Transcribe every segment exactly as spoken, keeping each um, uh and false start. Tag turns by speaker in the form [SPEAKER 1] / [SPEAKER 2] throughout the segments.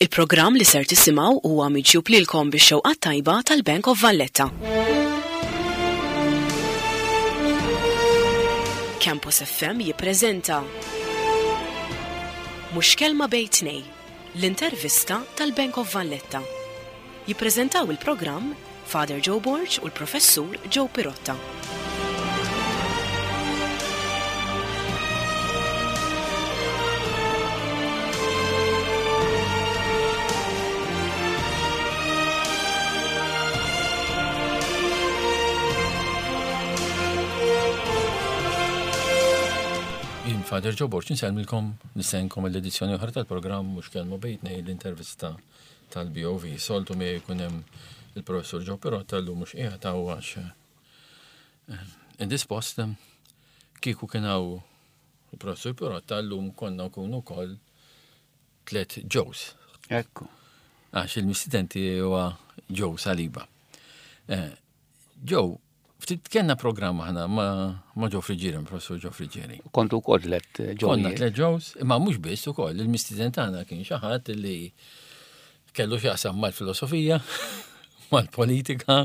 [SPEAKER 1] Il-programm li ser tisimgħu huwa miġjub lilkom bix-xewqa tajba tal-Bank of Valletta. Campus F M jippreżenta Mhux Kelma Bejn Tnejn, l-intervista tal-Bank of Valletta. Jippreżentaw il-programm Father Joe Borg u l-Professur Joe Pirotta.
[SPEAKER 2] Jien Father Joe Borg insellmilkom, nistenkom l-edizzjoni oħra tal-programm Mhux Kelma Bejn Tnejn, l-intervista tal-B O V. Soltu mi jkun hemm il-professur Joe Pirotta, llum mhux qiegħed hawn għax eh, indispost. Kieku kien hawn il-professur Pirotta, llum konna nkunu wkoll tliet Joes.
[SPEAKER 3] Ekku.
[SPEAKER 2] Għax il-mistieden huwa Joe Saliba. Eh, Joe, ftit kellna programm aħna ma, ma Joe Friggieri, professur Joe Friggieri.
[SPEAKER 3] Kontu wkoll tliet
[SPEAKER 2] Konna
[SPEAKER 3] Joe.
[SPEAKER 2] tliet Joes, imma mhux biss ukoll, il-mistieden tagħna kien xi ħadd li kellu x'jaqsam mal-filosofija, mal-politika,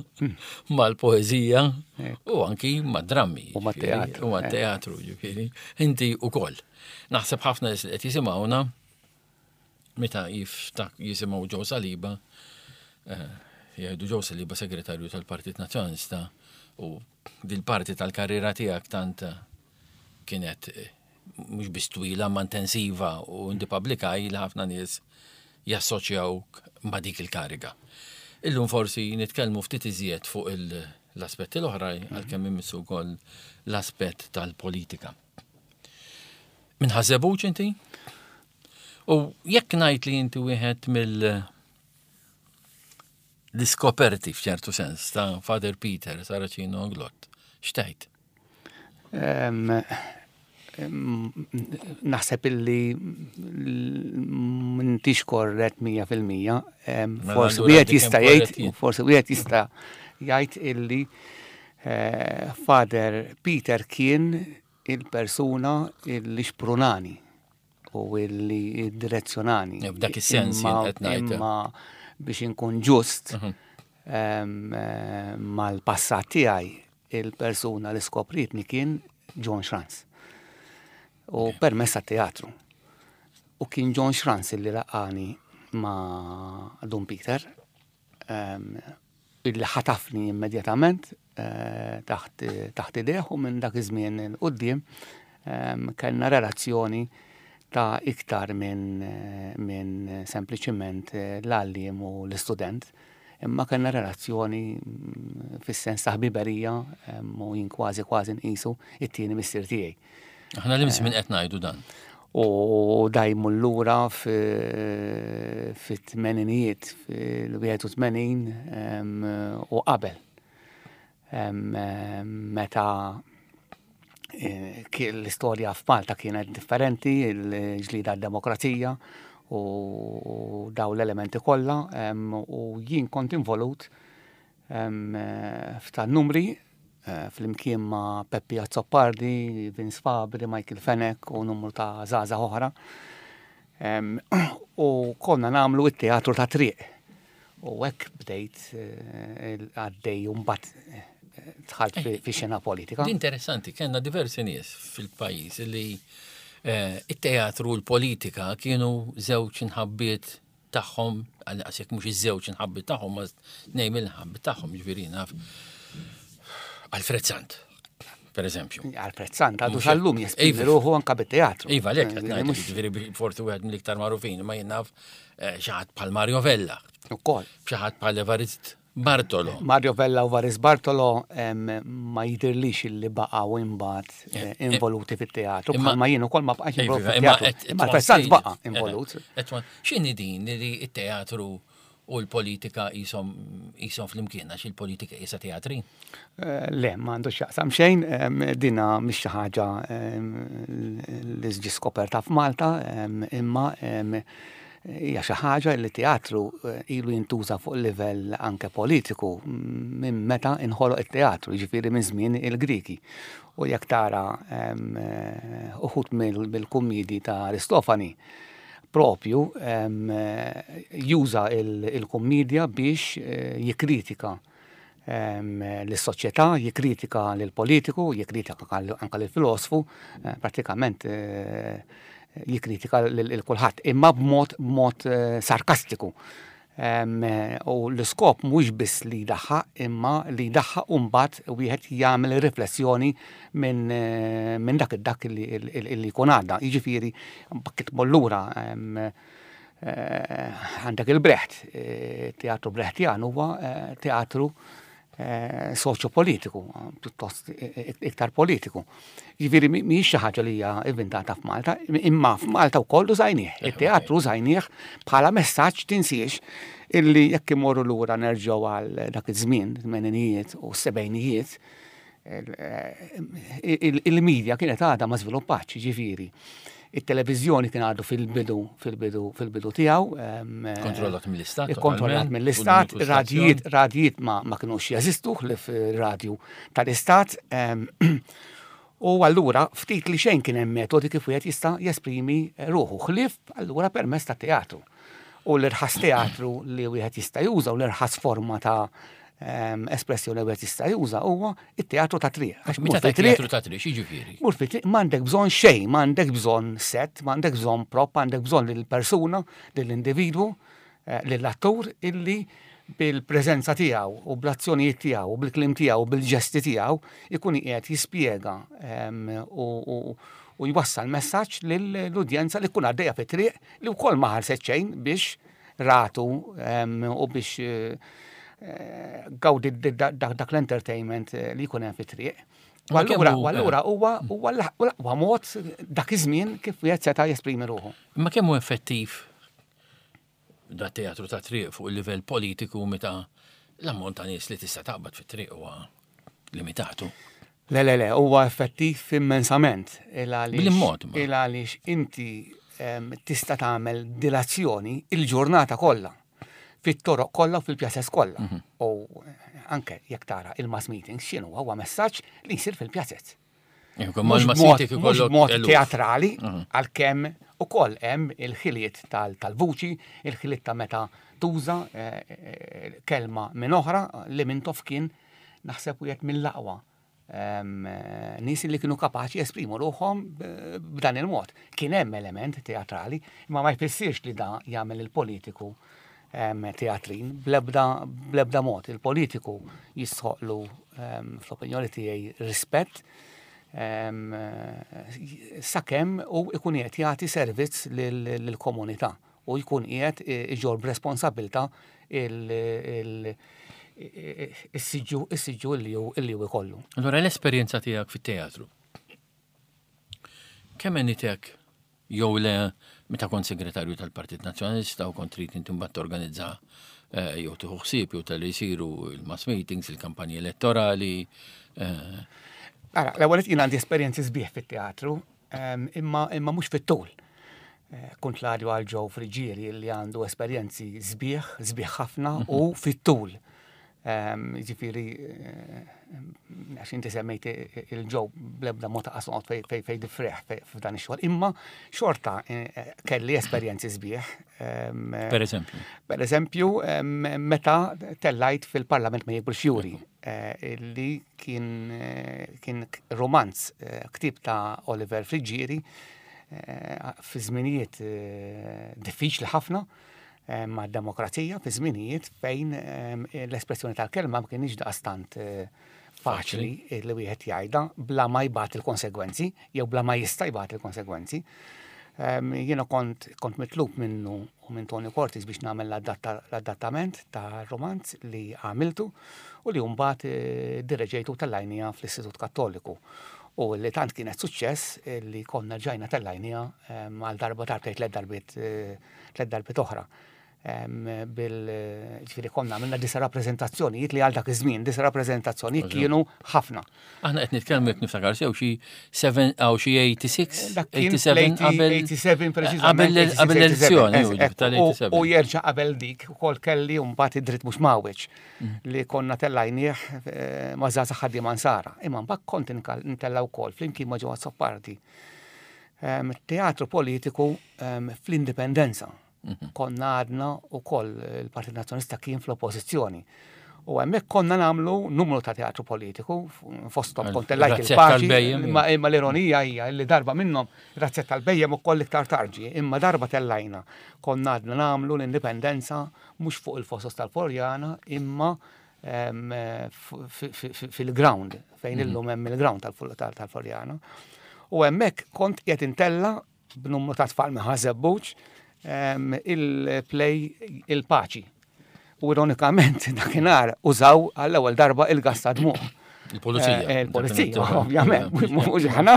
[SPEAKER 2] mal-poeżija u anki mad-drammi.
[SPEAKER 3] U mat-teatru.
[SPEAKER 2] U mat-teatru, ġifieri. Inti ukoll. Naħseb ħafna nies li qed jisimgħuna meta jiftak jisimgħu Joe Saliba, eh, jgħidu Joe Saliba, segretarju tal-Partit Nazzjonalista, u dil-parti tal-karriera tiegħek tant kienet eh, mhux biss twila ma intensiva u inti publikaj li ħafna nies jassoċjawk ma' dik il-kariga. Illum forsi nitkellmu ftit iżjed fuq il- l-aspetti l-oħra, għalkemm immissu wkoll l-aspett tal-politika. Minn Ħaż-Żebbuġ inti? U jekk ngħid li inti wieħed mill l-iskoperti f'ċertu sens ta' Father Peter Saracino Anglott, x'tgħid?
[SPEAKER 3] Em, em, Naħseb illi m'intix korrett mija fil-mija. Em,
[SPEAKER 2] Mela
[SPEAKER 3] Forsi
[SPEAKER 2] allura
[SPEAKER 3] wieħed
[SPEAKER 2] dik
[SPEAKER 3] jista'
[SPEAKER 2] hemm
[SPEAKER 3] jgħid,
[SPEAKER 2] korrett jien.
[SPEAKER 3] Forsi wieħed jista' jgħid illi eh, Father Peter kien il-persuna illi xprunani u illi direzzjonani.
[SPEAKER 2] F'dak is-sens jien
[SPEAKER 3] Imma-
[SPEAKER 2] qed ngħid.
[SPEAKER 3] Imma biex inkun ġust
[SPEAKER 2] Mhm.
[SPEAKER 3] em, eh, mal-passat tiegħi, il-persuna li skopritni kien John Schranz. U permezz teatru. U kien John Schranz illi laqani ma' Dun Peter, em, illi ħatafni immedjatament eh, taħt taħt idejh, u minn dak iż-żmien 'il quddiem em, kellna relazzjoni ta' iktar minn eh, minn sempliċiment eh, l-għalliem u l-istudent, imma kellna relazzjoni mm, fis-sens ta' ħbiberija em, u jien kważi kważi nqisu it-tieni missier tiegħi.
[SPEAKER 2] Aħna li minn qed ngħidu dan?
[SPEAKER 3] U dajmu l-lura fit-tmeninijiet, fil-wieħed u tmenin u qabel. Em, em, Meta eh, ki- l-istorja f'Malta kienet differenti, il-ġlida demokrazija u daw l-elementi kollha, em, u jien kont involut em, eh, f'ta' numri eh, flimkien ma' Peppi Azzopardi, Vince Fabri, Michael Fenech u numru ta' żgħażagħ oħra. Em, U konna nagħmlu it-teatru ta' triq. U hekk bdejt eh, għaddej u mbagħad eh, dħalt fi fi xena politika.
[SPEAKER 2] Di interessanti, kellna diversi nies fil-pajjiż li eh, it-teatru u l-politika kienu żewġ inħabbiet tagħhom, għal jekk mhux iż-żewġ inħabbiet tagħhom, ma tnejn mill-inħabbiet tagħhom, ġifieri naf Alfred Sant, per eżempju.
[SPEAKER 3] Alfred Sant għadu
[SPEAKER 2] Mhux
[SPEAKER 3] sal-lum
[SPEAKER 2] hekk.
[SPEAKER 3] jesprimi
[SPEAKER 2] Iva.
[SPEAKER 3] ruħu anka bit-teatru.
[SPEAKER 2] Iva, lek, qed
[SPEAKER 3] Eh,
[SPEAKER 2] ngħid,
[SPEAKER 3] mhux-
[SPEAKER 2] ġifieri forsi wieħed mill-iktar magħrufin, ma jien naf eh, xi ħadd bħal Mario Vella,
[SPEAKER 3] Ukoll.
[SPEAKER 2] xi ħadd bħal Evarist Bartolo.
[SPEAKER 3] Mario Vella u Varis Bartolo em, ma jidirlix illi baqgħu imbagħad eh, involuti fit-teatru.
[SPEAKER 2] Imma-
[SPEAKER 3] Bħalma jien ukoll ma bqax involut
[SPEAKER 2] Iva, imma
[SPEAKER 3] fit-teatru.
[SPEAKER 2] qed-
[SPEAKER 3] Imma Alfred Sant baqa' involut.
[SPEAKER 2] X'inhi din li it-teatru u l-politika jisom jisom flimkien, għax il-politika jisa teatri?
[SPEAKER 3] Eh, Le, ma għandu x'jaqsam xejn, em, dina mhix xi ħaġa em, li ġi skoperta f'Malta, em, imma em, hija xi ħaġa li teatru eh, ilu jintuża fuq livell anke politiku minn meta inħoloq it-teatru, jiġifieri minn żmien il-Griki. U jekk tara em, eh, uħud mill-kummidi ta' Aristofani, Propju juża il-kummedja biex jikkritika l-soċjetà, jikkritika l-politiku, jikkritika anka l-filosfu, pratikament jikkritika lil kulħadd, imma b'mod b'mod sarkastiku. U l-iskop mhux biss li jdaħħaq, imma li jdaħħaq u mbagħad wieħed jagħmel riflessjoni minn min dak dak li jkun għadda. Jiġifieri mbagħad tmur lura għandek il-Brecht, teatru Brechtjan huwa teatru soċjopolitiku, pjuttost iktar politiku. Jiġifieri mhijiex xi ħaġa li hija inventata f'Malta, imma f'Malta wkoll użajnieh. Il-teatru użajnieh bħala messaġġ, tinsiex illi jekk imorru lura nerġgħu għal dak iż-żmien, tmeninijiet u sebgħinijiet, il-medja kienet għadha ma żviluppatx, jiġifieri it-televiżjoni kien għadu fil-bidu fil-bidu fil-bidu tiegħu.
[SPEAKER 2] Kontrollat mill-istat.
[SPEAKER 3] Kontrollat mill-istat, radijiet radijiet ma, ma kinux jeżistu ħlief radju tal-istat. U allura ftit li xejn kien hemm metodi kif wieħed jista' jesprimi ruħu ħlief allura permezz ta' teatru. U l-irħas teatru li wieħed jista' juża u l-irħas forma ta' espressjoni li wieħed jista' juża huwa it-teatru ta' triq.
[SPEAKER 2] Għax meta ta' teatru ta' triq, x'jiġifieri?
[SPEAKER 3] Mur fi triq m'għandek bżonn xejn, m'għandek bżonn set, m'għandek bżonn prop, m'għandek bżonn lill-persuna, lill-individwu, lill-attur illi bil-preżenza tiegħu u bl-azzjonijiet tiegħu u bil-kliem tiegħu u bil-ġesti tiegħu ikun qiegħed jispjega u jwassal messaġġ lill-udjenza li tkun għaddejja fit-triq li wkoll ma ħarset xejn biex ratu u biex gawdi dak l-entertainment li jkun hemm fit-triq. U allura allura huwa huwa l-aqwa mod dak iż-żmien kif wieħed seta' jesprimi ruħu.
[SPEAKER 2] Imma kemm hu effettiv da teatru ta' triq fuq il-livell politiku meta l-ammont ta' nies li tista' taqbad fit-triq huwa limitatu?
[SPEAKER 3] Le, le, le, huwa effettiv immensament.
[SPEAKER 2] Bil-mod.
[SPEAKER 3] Il għaliex inti tista' tagħmel dilazzjoni il-ġurnata kollha, fit-toroq kollha u fil-pjazez kollha. U anke jekk tara il-mass meetings x'inhu huwa messaġġ li jsir fil-pjazez. Mhux mod teatrali, għalkemm ukoll hemm il-ħiliet tal-vuċi, il-ħiliet ta' meta tuża kelma minn oħra li Mintoff kien naħseb wieħed mill-aqwa nies li kienu kapaċi jesprimu ruħhom b'dan il-mod. Kien hemm element teatrali, imma ma jfissirx li da jagħmel il-politiku teatrin bl-ebda bl-ebda mod. Il-politiku jistħoqlu, fl-opinjoni tiegħi, rispett sakemm u ikun qiegħed jagħti servizz lill-komunità u jkun qiegħed iġorr b'responsabilità is-siġġu is-siġġu li hu ikollu.
[SPEAKER 2] Allura l-esperjenza tiegħek fit-teatru. Kemm għenitek jew le meta kont segretarju tal-Partit Nazzjonalista u kont trid inti mbagħad torganizza jew tieħu ħsieb jew tal-li jsiru il-mass meetings, il-kampanji elettorali?
[SPEAKER 3] Ara, l-ewwel jien għandi esperjenzi sbieħ fit-teatru, imma imma mhux fit-tul. Kont l għal Joe Friggieri li għandu esperjenzi sbieħ, sbieħ ħafna u fit-tul. Ġifieri, għax inti semmejt il-Joe, bl-ebda mod ta' qasot fej fej diffreħ f'dan ix-xogħol, imma xorta kelli esperjenzi sbieħ.
[SPEAKER 2] Per eżempju?
[SPEAKER 3] Per eżempju, meta tellajt fil-Parlament ma Jikbrux Juri, li kien kien romanz, ktib ta' Oliver Friggieri, fi żminijiet diffiċli ħafna ma' demokrazija, fi żminijiet fejn l-espressjoni tal-kelma ma kienx daqstant faċli li wieħed jgħidha bla ma jbati il-konsegwenzi jew bla ma jista' jbati il-konsegwenzi. Jiena kont kont mitlub minnu u minn Tony Cortis biex nagħmel l-adattament ta' romanz li għamiltu u li mbagħad direġejtu tellajniha fl-Istitut Kattoliku. U li tant kienet suċċess li konna ġajna tellajniha għal darba darbtejn, tliet darbiet tliet darbiet oħra. Bil ġifieri konna għamilna disa' rappreżentazzjonijiet li għal dak iż-żmien disa' rappreżentazzjonijiet kienu ħafna.
[SPEAKER 2] Aħna qed nitkellmu, jekk niftakar sew, xi seven aw xi eighty-six, eighty-seven qabel
[SPEAKER 3] eighty-seven preċiżament.
[SPEAKER 2] Qabel l-elezzjoni tal-eighty-seven.
[SPEAKER 3] U jerġa' qabel dik ukoll kelli mbagħad id-dritt mhux mawweġ li konna tellajnieh ma' żgħażagħ ħaddiema Nsara. Imma mbagħad kont ntella' wkoll flimkien ma' Joe Azzopardi. Teatru politiku fl-Indipendenza. Konna għadna u koll il-Partit Nazzjonalista kien fl-oppożizzjoni. U hemmhekk konna nagħmlu numru ta' teatru politiku, fosthom kont tellajt il-paċi, imma l-ironija hija li darba minnhom razzett tal-bejjem ukoll iktar tarġi, imma darba tellajna. Konna għadna nagħmlu l-Indipendenza mhux fuq il-fosos tal-Floriana, imma fil-ground, fejn illum hemm il-ground tal-Floriana. U hemmhekk kont qiegħed intella b'numru ta' tfal minn Ħaż-Żebbuġ il-play il-paċi. U ironikament dakinhar użaw għall-ewwel darba il-gas ta' dmugħ.
[SPEAKER 2] Il-pulizija.
[SPEAKER 3] Il-pulizija, ovvjament, mhux aħna.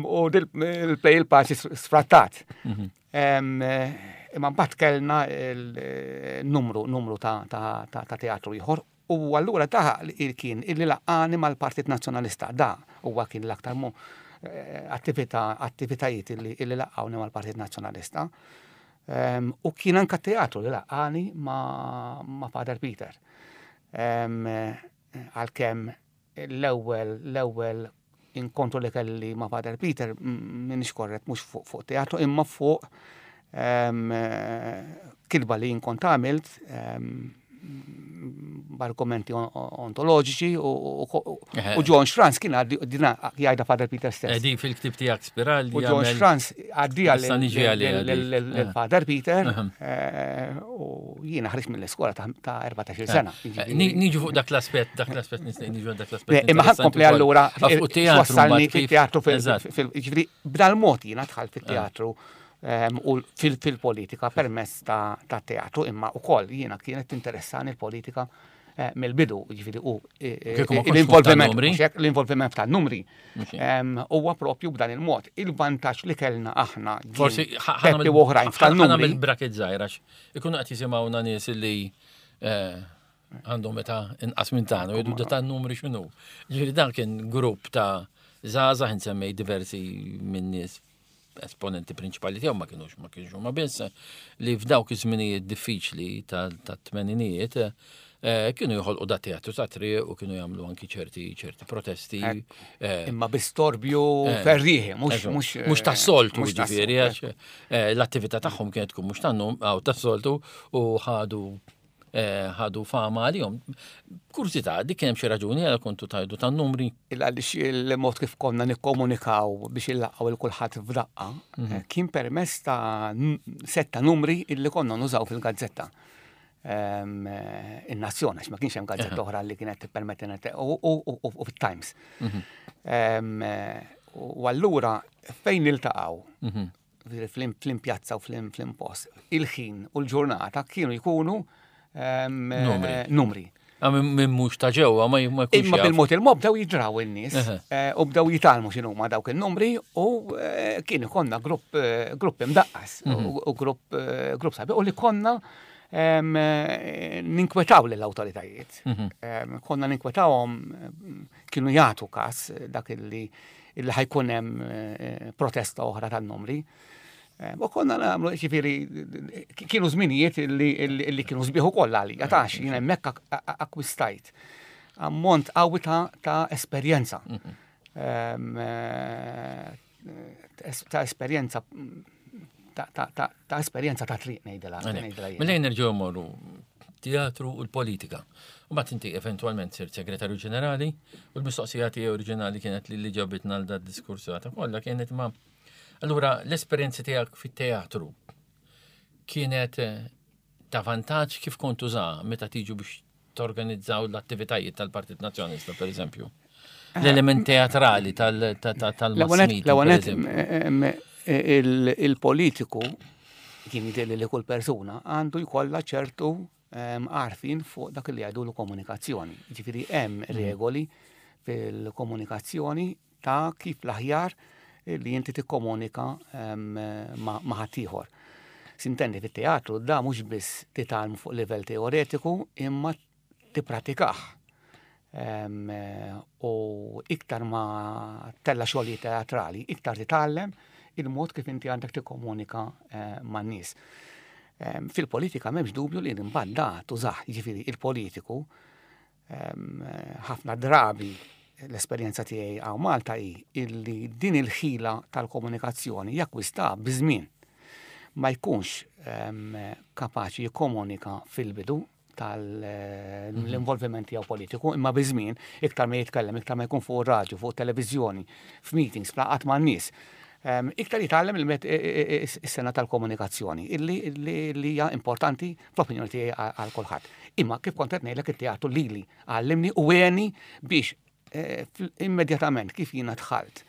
[SPEAKER 3] U il-play il-paċi sfrattat. Imma mbagħad kellna numru numru ta' teatru ieħor. U allura da kien illi laqqani mal-Partit Nazzjonalista. Da huwa kien l-aktar attività attivitajiet illi laqqawni mal-Partit Nazzjonalista. U kien anka teatru li laqqani ma' Father Peter. Għalkemm l-ewwel l-ewwel inkontru li kelli ma' Father Peter minix korret mhux fuq teatru imma fuq kitba li jien kont għamilt b'argumenti ontoloġiċi u John Schranz kien għaddina jgħidha Father Peter stess.
[SPEAKER 2] Di fil-ktib tiegħek Spirali.
[SPEAKER 3] U John Schranz għaddija lil Father Peter u jiena ħriġt mill-iskola ta' erbatax-il sena.
[SPEAKER 2] Niġu fuq dak l-aspett, dak l-aspett, niġu dak l-aspett.
[SPEAKER 3] Imma ħa nkompli allura wassalni fit-teatru, ġifieri b'dal-mod jiena dħalt fit-teatru u fil-politika permezz ta' teatru, imma ukoll jiena kienet tinteressani l-politika mill-bidu, ġifieri u l-involviment l-involviment tan-numri huwa propju b'dan il-mod. Il-vantaġġ li kellna aħna
[SPEAKER 2] Forsi
[SPEAKER 3] Peppi u oħrajn
[SPEAKER 2] tan-numri. Bil-bracket żgħir għax ikunu qed jisimgħuna nies li għandhom meta inqas minn tagħna u jgħidu da tan-numri x'inhu. Ġifieri dan kien grupp ta' żgħażagħ, insemmej diversi minn nies esponenti prinċipali tiegħu, ma kienux ma kienux huma biss, li f'dawk iż-żminijiet diffiċli tat-tmeninijiet kienu joħolqu da teatru ta' triq u kienu jagħmlu anki ċerti ċerti protesti.
[SPEAKER 3] Imma bi storbju ferrieħi, mhux
[SPEAKER 2] mhux mhux tas-soltu, ġifieri għax l-attività tagħhom kienet tkun mhux tannum għaw tas-soltu u ħadu ħadu fama għalihom. Kurzità, dik kien hemm xi raġuni għal kontu tajdu tan-numri?
[SPEAKER 3] Għaliex il-mod kif konna nikkomunikaw biex illaqgħu il kulħadd f'daqqa kien permezz ta' setta numri illi konna nużaw fil-gazzetta. In-Nazzjon, għax ma kienx hemm gazzetta oħra li kienet tippermettina u fit-Times. U allura fejn niltaqgħu fl-impjazza u fl-impost, il-ħin u l-ġurnata kienu jkunu numri.
[SPEAKER 2] Minn mhux ta' ġewwa ma jkunx.
[SPEAKER 3] Imma bil-mod il-mod bdew jidraw in-nies u bdew jitgħallmu x'inhuma dawk in-numri u kien ikollna grupp grupp imdaqqas u grupp grupp sabiħ u li konna ninkwetaw lill-awtoritajiet. Konna ninkwetawhom, kienu jagħtu każ dak illi illi ħa jkun hemm protesta oħra tan-numri. U konna nagħmlu, ġifieri kienu żminijiet illi kienu sbieħ ukoll għalija, tax jien hemmhekk akkwistajt ammont qawwi ta' esperjenza. Ta' esperjenza ta' esperjenza ta' triq ngħidilha.
[SPEAKER 2] Mela nerġgħu mmorru teatru u l-politika. U mbagħad inti eventwalment sirt segretarju ġenerali u l-mistoqsija tiegħi oriġinali kienet li li ġabitna għal dat diskursu ta' kollha kienet ma' allura l-esperjenza tiegħek fit-teatru kienet ta' vantaġġ kif kont tuża meta tiġu biex torganizzaw l-attivitajiet tal-Partit Nazzjonalista, per eżempju? L-element teatrali tal-mass media.
[SPEAKER 3] Il-politiku kien jidher li kull persuna għandu jkollha ċertu għarfien fuq dak li jgħidu l-komunikazzjoni. Ġifieri hemm regoli fil-komunikazzjoni ta' kif l-aħjar li inti tikkomunika ma' ħaddieħor. Sintendi fit-teatru da mhux biss titgħallmu fuq livell teoretiku imma tippratikah. U iktar ma tella xogħlijiet teatrali, iktar titgħallem il-mod kif inti għandek tikkomunika man-nies. Fil-politika m'hemmx dubju li mbagħad da tużah, jiġifieri il-politiku ħafna drabi l-esperjenza tiegħi hawn Malta hi illi din il-ħila tal-komunikazzjoni jakkwista biż-żmien. Ma jkunx kapaċi jikkomunika fil-bidu tal-involviment tiegħu politiku, imma biż-żmien iktar ma jitkellem, iktar ma jkun fuq radio, fuq televiżjoni, f'meetings, f'laqgħat man-nies, iktar jitgħallem is-sengħa tal-komunikazzjoni, illi illi hija importanti fl-opinjoni tiegħi għal kulħadd. Imma kif kont qed ngħidlek, it-teatru lili għallimni u għeni biex eh, immedjatament kif jiena dħalt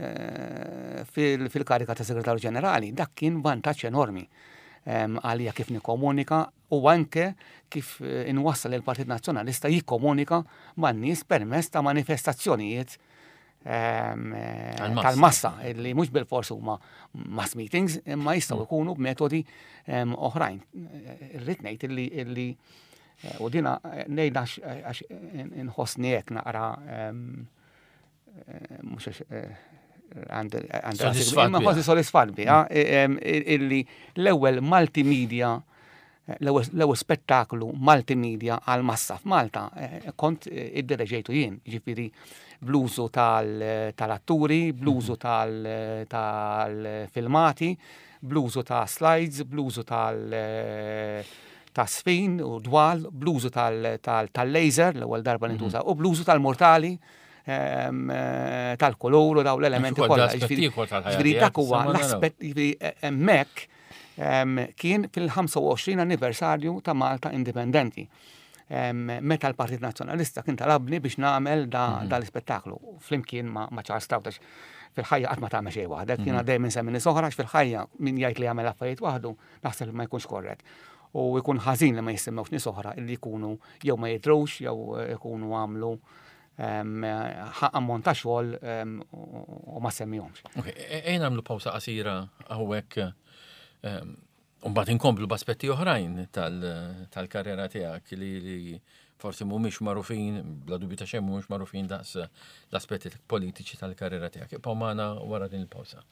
[SPEAKER 3] eh, fil-karika ta' segretarju ġenerali, dak kien vantaġġ enormi għalija kif nikkomunika u anke kif eh, inwassal il-Partit Nazzjonalista jikkomunika man-nies permezz ta' manifestazzjonijiet tal-massa, li mhux bil-fors huma mass meetings, imma jistgħu jkunu b'metodi oħrajn. Irrid ngħid illi illi eh, u dina eh, ngħidha għax inħossni hekk naqra mhux għandi sodisfatt biha, illi l-ewwel multimedia, l-ewwel spettaklu multimedia għal massa f'Malta eh, kont eh, iddireġejtu jien, ġifieri bl-użu tal-atturi, bl-użu tal-filmati, bl-użu ta' slides, bl-użu tal- ta' sfin u dwal, bl-użu tal-laser, l-ewwel darba li ntuża, u bl-użu tal-mortali, eh, tal-kolor u daw l-elementi kollha. Ġifieri dak huwa l-aspett, ġifieri hemmhekk kien fil-ħamsa u għoxrin anniversarju ta' Malta Indipendenti, meta l-Partit Nazzjonalista kien talabni biex nagħmel da mhm. dal-ispettaklu flimkien ma' Charles Stout. Fil-ħajja qatt ma tagħmel xejn waħdek, jiena mhm. dejjem insemmi nies oħra, fil-ħajja min jgħid li jagħmel affarijiet waħdu naħseb li ma jkunx korrett. U jkun ħażin li ma jissemmewx nies oħra illi jkunu jew ma jidhrux jew ikunu għamlu ammont ta' xogħol u ma semmihomx.
[SPEAKER 2] Ok, e-, ejja nagħmlu pawsa qasira hawnhekk. Mbagħad inkomplu b'aspetti oħrajn tal-karriera tiegħek li li forsi mhumiex magħrufin, bla dubju ta' xejn mhumiex magħrufin daqs l-aspetti politiċi tal-karriera tiegħek. Ibqgħu magħna wara din il-pawsa.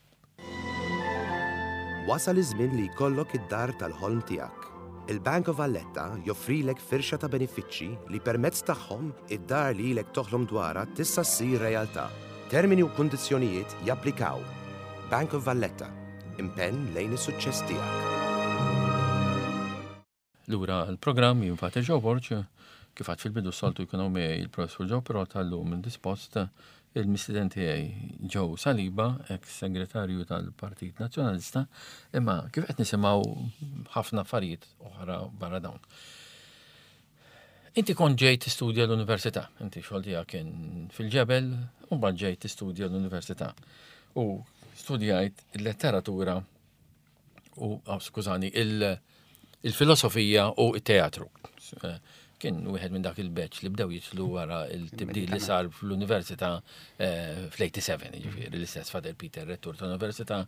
[SPEAKER 4] Wasal iż-żmien li jkollok id-dar tal-ħolm tiegħek. Il-Bank of Valletta joffrilek firxa ta' benefiċċji li permezz tagħhom id-dar li ilek toħlom dwarha tista' ssir realtà. Termini u kundizzjonijiet japplikaw. Bank of Valletta, impenn lejn is-suċċess tiegħek.
[SPEAKER 2] Lura l-programm, jien Father Joe Borg, kif għedt fil-bidu, soltu jkunu miegħi il-professur Joe, però tal-lum indispost, il-mistieden tiegħi Joe Saliba, ex-segretarju tal-Partit Nazzjonalista, imma kif qed nisimgħu ħafna affarijiet oħra barra dawn. Inti kont ġejt tistudja l-università, inti xogħol tiegħek kien fil-ġebel, u mbagħad ġejt tistudja l-università. U studjajt il-letteratura u, oh, skużani, il- il-filosofija u il-teatru. Eh, Kien wieħed minn dak il-batch li bdew jidħlu wara il-tibdil li sar fl-università eh, fl-sebgħa u sebgħin, ġifieri l-istess Father Peter, rettur tal-università,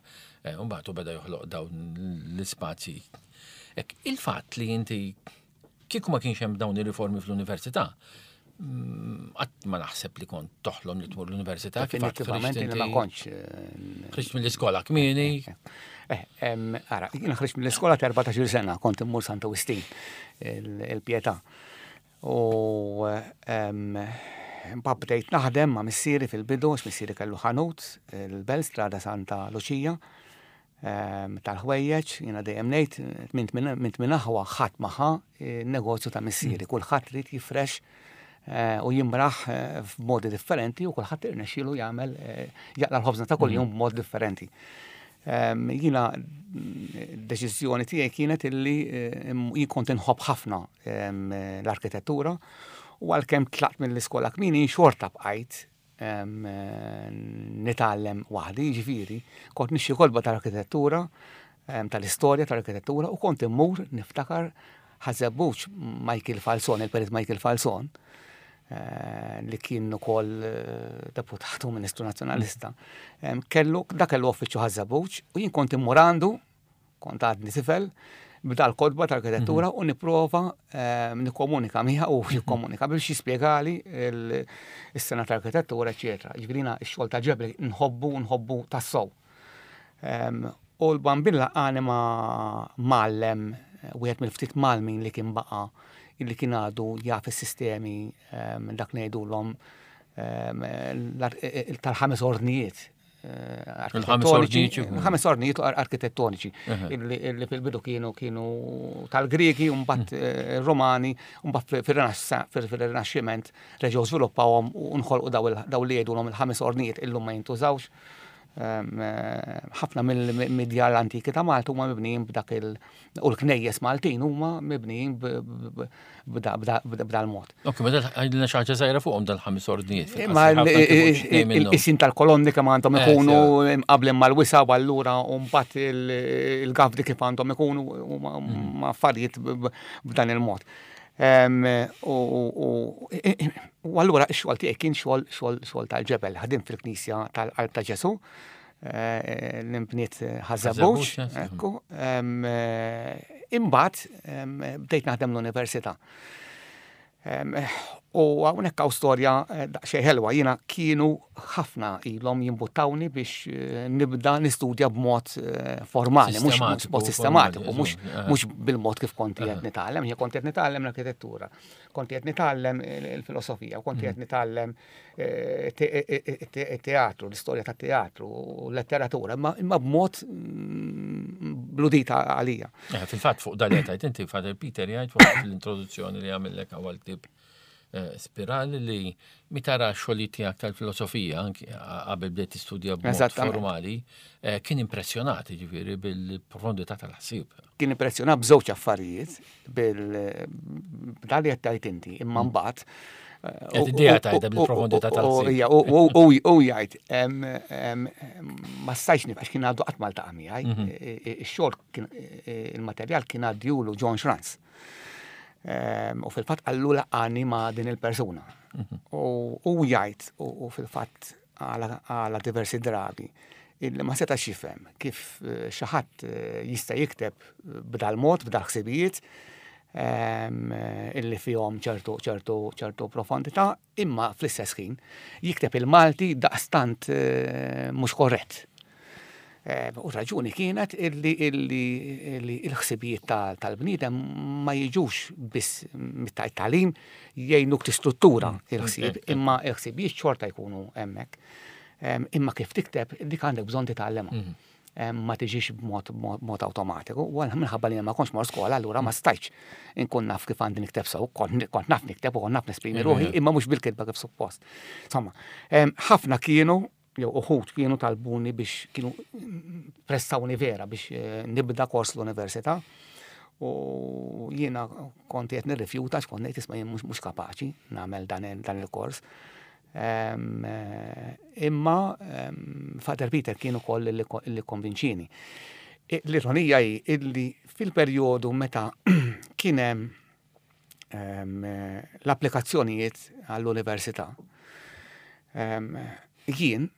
[SPEAKER 2] eh, u mbagħad beda joħloq dawn l-ispazji. Ek, il-fatt li inti kieku ma kienx hemm dawn ir-riformi fl-università, mm, qatt ma naħseb li kont toħlom li tmur l-università. Kif għad
[SPEAKER 3] Definitivament
[SPEAKER 2] ħriġt
[SPEAKER 3] li ma
[SPEAKER 2] inti-
[SPEAKER 3] kontx. eh,
[SPEAKER 2] Ħriġt mill-iskola kmieni,
[SPEAKER 3] Eh, em, Ara, jiena ħriġt mill-iskola ta' erbatax-il sena, kont immur Santa Wistin, il- il-Pietà. U em, mbagħad bdejt naħdem ma' missieri fil-bidu, għax missieri kellu ħanut, il-Belt, Strada Santa Luċija, em, tal-ħwejjeġ, jiena dejjem ngħid, minn minn minn aħwa ħadd ma ħa negozju ta' missieri, kulħadd ried jifrex eh, u jimraħ eh, f'modi differenti u kulħadd irnexxielu jagħmel eh, jaqla l-ħobżna ta' kuljum b'mod differenti. Em, Jiena mm, deċiżjoni tiegħi kienet illi eh, jien kont inħobb ħafna em, l-arkitettura u għalkemm tlaqt mill-iskola kmieni xorta bqajt em, eh, nitgħallem waħdi, ġifieri, kont nixtri kotba tal-arkitettura, em, tal-istorja tal-arkitettura u kont immur, niftakar, Ħaż-Żebbuġ, Michael Falzon, il-perit Michael Falzon, eh, li kien ukoll eh, deputat u ministru nazzjonalista, em, kellu, da kellu uffiċċju Ħaż-Żebbuġ u jien kont immur għandu, kont għadni tifel, b'dal-kotba tal-arkitettura u nipprova em, nikkomunika miegħu u jikkomunika biex jispjegali il- is-sengħa tal-arkitettura, eċetera. Ġifieri x-xogħol ta' ġebel nħobbu nħobbu tassew. Em, U l-Bambin għani ma' mgħallem, wieħed mill-ftit mgħallmin li kien baqa, illi kien għadu jaf is-sistemi em, dak ngħidulhom tal-ħames ordnijiet. Architettoniċi, ħames ordnijiet arkitettoniċi illi fil-bidu kienu kienu tal-Griegi, mbagħad mm. Romani, mbagħad fir-Rinaxximent reġgħu żviluppawhom u nħolqu daw li jgħidulhom il-ħames ordnijiet, illum ma jintużawx. Ħafna mill-djar l-antiki ta' Malta huma mibnijin b'dak il- u l-knejjes Maltin huma mibnijin b'dal-mod.
[SPEAKER 2] Ok, ma għidilna xi ħaġa żgħira fuqhom dal-ħames ordnijiet.
[SPEAKER 3] Ma il-qisien tal-kolonni kemm għandhom eh, ikunu mqablin mal-wisa u allura u mbagħad il-gavdi kif għandhom ikunu mm. ma affarijiet b'dan il-mod. U allura x-xogħol tiegħi kien xogħol xogħol tal-ġebel, ħadim fil-Knisja tal-Qalb ta' Ġesu, eh, l-imbniet Ħaż-Żebbuġ, ekku. Imbagħad bdejt naħdem l-università. U hawnhekk hawn storja eh, daqsxejn ħelwa. Jiena kienu ħafna ilhom jimbuttawni biex eh, nibda nistudja b'mod eh, formali, mhux b'mod sistematiku, mhux bil-mod kif konti qed nitgħallem. Jien kont qed nitgħallem l-arkitettura, kont qed nitgħallem il-filosofija, kont qed nitgħallem teatru, l-istorja tat-teatru, l-letteratura, imma b'mod mm, bludita għalija.
[SPEAKER 2] Fil-fatt fuq dal qed inti, Father Peter jgħid fuq l-introduzzjoni li għamillek għal ktieb eh, Spiral li meta ra xogħli tiegħek tal-filosofija anki qabel bdejt tistudja b'mod formali, eh, kien impressjonat ġifieri bil-profondità tal-ħsieb.
[SPEAKER 3] Kien impressjonat b'żewġ affarijiet, bil-dali qed tgħid inti, imma mm. mbagħad
[SPEAKER 2] eh, Id-idea tajda bil-profondità tal-ħsieb.
[SPEAKER 3] U jgħid, ma stajx nifhem kien għadu qatt ma ltaqa' miegħi, mhm. ix-xogħol il-materjal kien għaddjulu John Schranz. U fil-fatt qallu laqani ma' din il-persuna. Mhm. U jgħid, u fil-fatt għala diversi drabi, illi ma setax jifhem kif eh, xi ħadd eh, jista' jikteb b'dal mod, b'dal ħsibijiet, illi fihom ċertu ċertu ċertu profondità, imma fl-istess ħin jikteb il-Malti daqstant eh, mhux korrett. U raġuni kienet illi illi il-ħsibijiet tal-bniedem ma jiġux biss mit-tagħlim jgħinuk tistruttura mm, il-ħsieb, imma il-ħsibijiet xorta jkunu hemmhekk. Imma kif tikteb, dik għandek bżonn titgħallemha. Mm. Ma tiġix b'mod mod awtomatiku. U minħabba li ma kontx mor skola, allura ma stajtx inkun naf kif għandi nikteb sew, kont naf nikteb u kont naf nesprimi ruħi, imma mhux bil-kitba kif suppost. Insomma, ħafna kienu jew uħud kienu talbuni biex kienu pressawni vera biex eh, nibda kors l-università. U jiena kont qed nirrifjuta x'kont ngħid, isma' jien mhux kapaċi nagħmel dan il-kors. Eh, imma Father Peter kien ukoll li konvinċini. L-ironija hi illi fil-perjodu meta kien hemm l-applikazzjonijiet għall-università, jien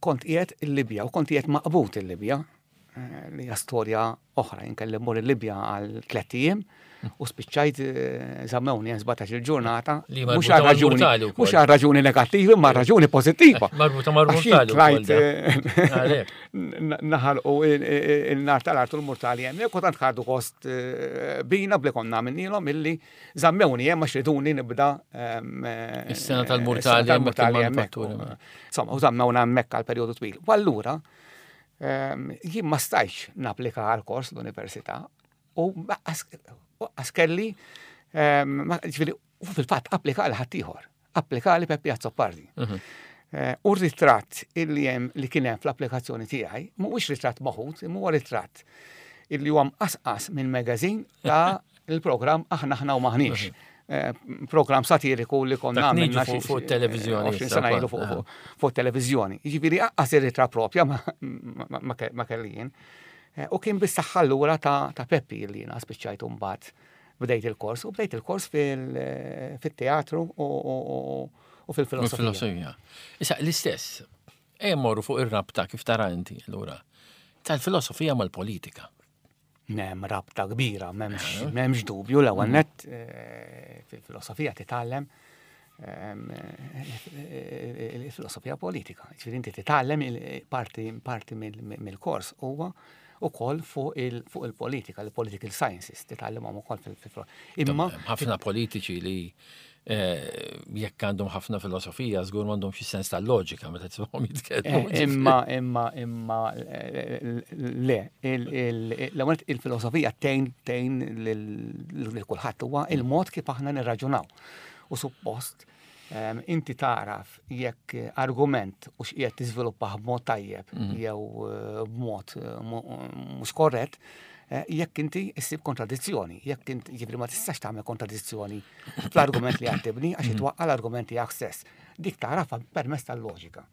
[SPEAKER 3] kont qiegħed il-Libja u kont qiegħed maqbud il-Libja, eh, li hija storja oħra, jien kelli mmur il-Libja għal tlett ijiem u spiċċajt eh, żammewni hemm sbatax il-ġurnata. Mhux għal raġuni, mhux għal raġuni negattivi, ma raġuni pożittiva.
[SPEAKER 2] Marbuta mal-mortali.
[SPEAKER 3] Tlajt eh, naħarqu il-nar tal-art u l-mortali hemm. U tant ħadu kost bina bli konna minnilhom illi żammewni hemm għax riduni nibda
[SPEAKER 2] Is-sena tal-mortali hemmhekk.
[SPEAKER 3] Insomma, u żammewna hemmhekk għal perjodu twil. U allura jien ma stajtx napplika għal kors l-università u għax kelli, ġifieri, u fil-fatt applika għal ħaddieħor, applika li Peppi Azzopardi. Mhm. Eh, u r-ritratt illi hemm li kien hemm fl-applikazzjoni tiegħi mhuwiex ritratt maħud, imma huwa ritratt illi huwa mqasqas minn magazine ta' il-programm Aħna Aħna u Maħniex. Mhm. Eh, program satiriku li konna
[SPEAKER 2] għamilna fuq televizjoni.
[SPEAKER 3] għoxrin sena ilu fuq televizjoni. Jiġifieri aqqas ir-ritratt propja ma kelli jien. Eh, u kien bis-saħħa allura ta' Peppi li jiena spiċċajt mbagħad bdejt il-kors u bdejt il-kors fil-teatru u fil-filosofija.
[SPEAKER 2] Issa l-istess, ejja mmorru fuq ir-rabta kif tara inti allura tal-filosofija mal-politika.
[SPEAKER 3] Hemm rabta kbira, m'hemmx dubju. L-ewwel nett eh, fil-filosofija titgħallem ehm, eh, il-filosofija politika. Ġifieri inti titgħallem parti parti mill-kors huwa ukoll fuq il-politika, il-political sciences, titgħallimhom ukoll fil
[SPEAKER 2] Imma ħafna politiċi li eh, jekk għandhom ħafna filosofija, żgur m'għandhom xi sens tal-loġika meta tismagħhom jitkellmu.
[SPEAKER 3] Eh, imma, imma, imma, eh, le, l-ewwel il-filosofija tgħin tgħin lil kulħadd huwa il-mod kif aħna nirraġunaw. U suppost inti taraf jekk argument u x'qiegħed tiżviluppah b'mod tajjeb mhm. jew eh, b'mod eh, mhux korrett, eh, jekk inti issib kontradizzjoni, jekk inti jiġifieri ma tistax tagħmel kontradizzjoni fl-argument li qed tibni għax mhm. itwaqqa l-argument tiegħek stess. Dik tagħrafha permezz tal-loġika.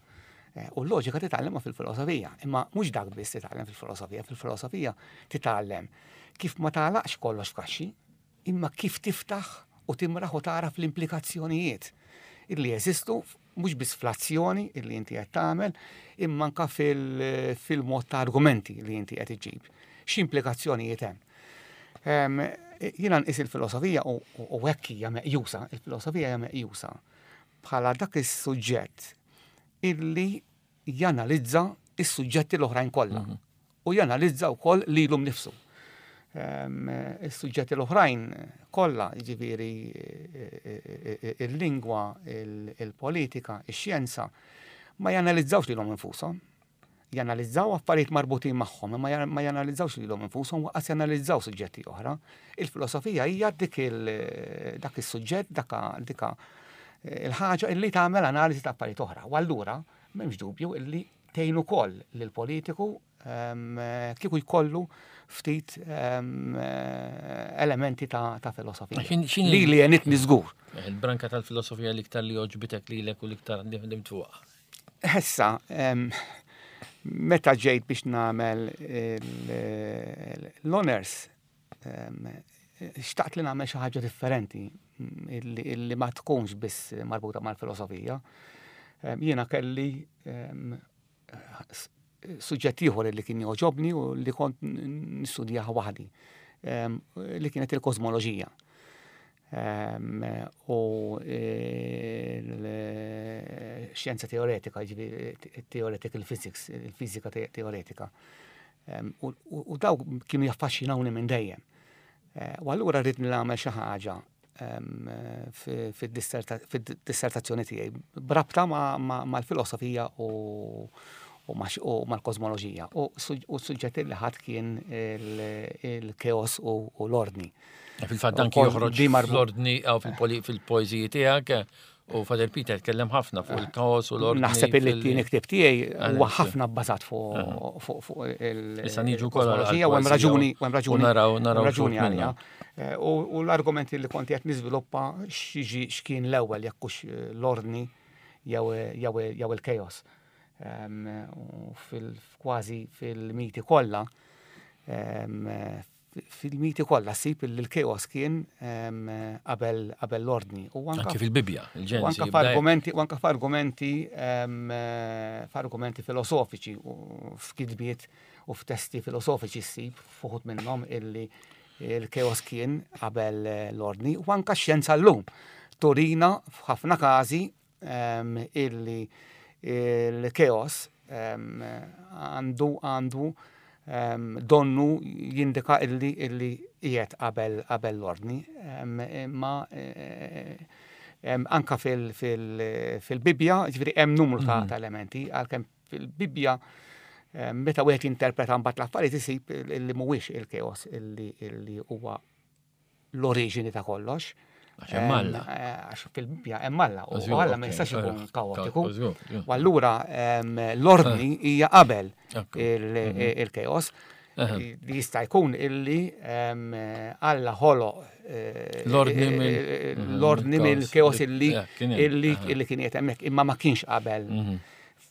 [SPEAKER 3] U l-loġika titgħallemha fil-filosofija, imma mhux dak biss titgħallem fil-filosofija, fil-filosofija titgħallem kif ma tagħlaqx kollox f'kaxxi, imma kif tiftaħ u timraħ u taraf l-implikazzjonijiet illi jeżistu mhux biss fl-azzjoni illi inti qed tagħmel, imma anka fil-mod ta' argumenti li inti qed iġġib. X'implikazzjonijiet hemm? Jiena nqis il-filosofija u hekk hija meqjusa, il-filosofija hija meqjusa bħala dak is-suġġett illi janalizza is-suġġetti l-oħrajn kollha mhm. u janalizza wkoll lilu nnifsu. Is-suġġetti l-oħrajn kollha, jiġifieri il-lingwa, il-politika, ix-xjenza, ma janalizzawx lilhom infushom. Janalizzaw affarijiet marbutin magħhom, ma janalizzawx lilhom infushom waqas janalizzaw suġġetti oħra. Il-filosofija hija dik dak is-suġġett, dik il-ħaġa illi tagħmel analiżi ta' affarijiet oħra. U allura m'hemmx dubju illi tgħin ukoll lill-politiku kieku jkollu ftit elementi ta' filosofija. Li li għenitni żgur.
[SPEAKER 2] Il-branka tal-filosofija l-iktar li għoġbitek lilek u l-iktar li ħdimt fuqha.
[SPEAKER 3] Issa, meta ġejt biex nagħmel l-honors, xtaqt li nagħmel xi ħaġa differenti illi ma tkunx biss marbuta mal-filosofija. Jiena kelli suġġett ieħor li kien jogħġobni u li kont nistudjah waħdi, li kienet il-kosmoloġija. U l-xjenza teoretika, theoretical physics, il-fiżika teoretika. U daw kienu jaffaxxinawni minn dejjem. U allura rrid nagħmel xi ħaġa fid-dissertazzjoni tiegħi b'rabta mal-filosofija u u mal-kosmoloġija. U s-suġġett li ħadt kien il-keos u l-ordni.
[SPEAKER 2] Fil-fatt dan joħroġ l-ordni għaw fil-poeżiji tiegħek u Father Peter tkellem ħafna fuq il-kaos u l-ordni.
[SPEAKER 3] Naħseb li t-tieni ktieb tiegħi huwa ħafna bbażat fuq il-kosmoloġija u hemm raġuni u hemm raġuni
[SPEAKER 2] naraw naraw
[SPEAKER 3] raġuni għalija. U l-argumenti li kont qed niżviluppa x'jiġi x'kien l-ewwel jekk hux l-ordni jew il-chaos. Kważi fil-miti kollha, fil-miti kollha ssib li l-chaos kien qabel qabel l-ordni.
[SPEAKER 2] U anke fil-Bibbja,
[SPEAKER 3] il-Ġenesi. U anke f'argumenti, u anke f'argumenti f'argumenti filosofiċi u f'kitbiet u f'testi filosofiċi ssib f'uħud minnhom illi il-chaos kien qabel l-ordni. U anke x-xjenza llum turina f'ħafna każi illi il-chaos għandu għandu donnu jindika illi illi qiegħed qabel qabel l-ordni. Imma anka fil-Bibbja, ġifieri hemm numru ta' elementi, għalkemm fil-Bibbja meta wieħed jinterpreta mbagħad l-affarijiet isib illi mhuwiex il-chaos illi huwa l-oriġini ta' kollox.
[SPEAKER 2] Għax hemm Alla.
[SPEAKER 3] Għax fil-Bibbja hemm Alla u Alla ma jistax ikun kaotiku. U allura l-ordni hija qabel il-chaos. Li jista' jkun illi Alla ħoloq l-ordni mill-chaos illi illi kien qiegħed hemmhekk imma ma kienx qabel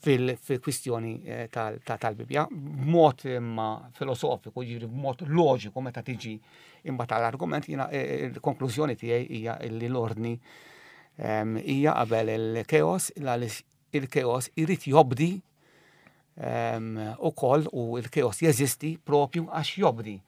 [SPEAKER 3] fil-kwistjoni tal-Bibbja, b'mod imma filosofiku, ġifieri b'mod loġiku meta tiġi imma tal-argument jiena il-konklużjoni tiegħi hija li l-ordni hija qabel il-chaos, għaliex il-chaos irid jobdi ukoll u il-chaos jeżisti propju għax jobdi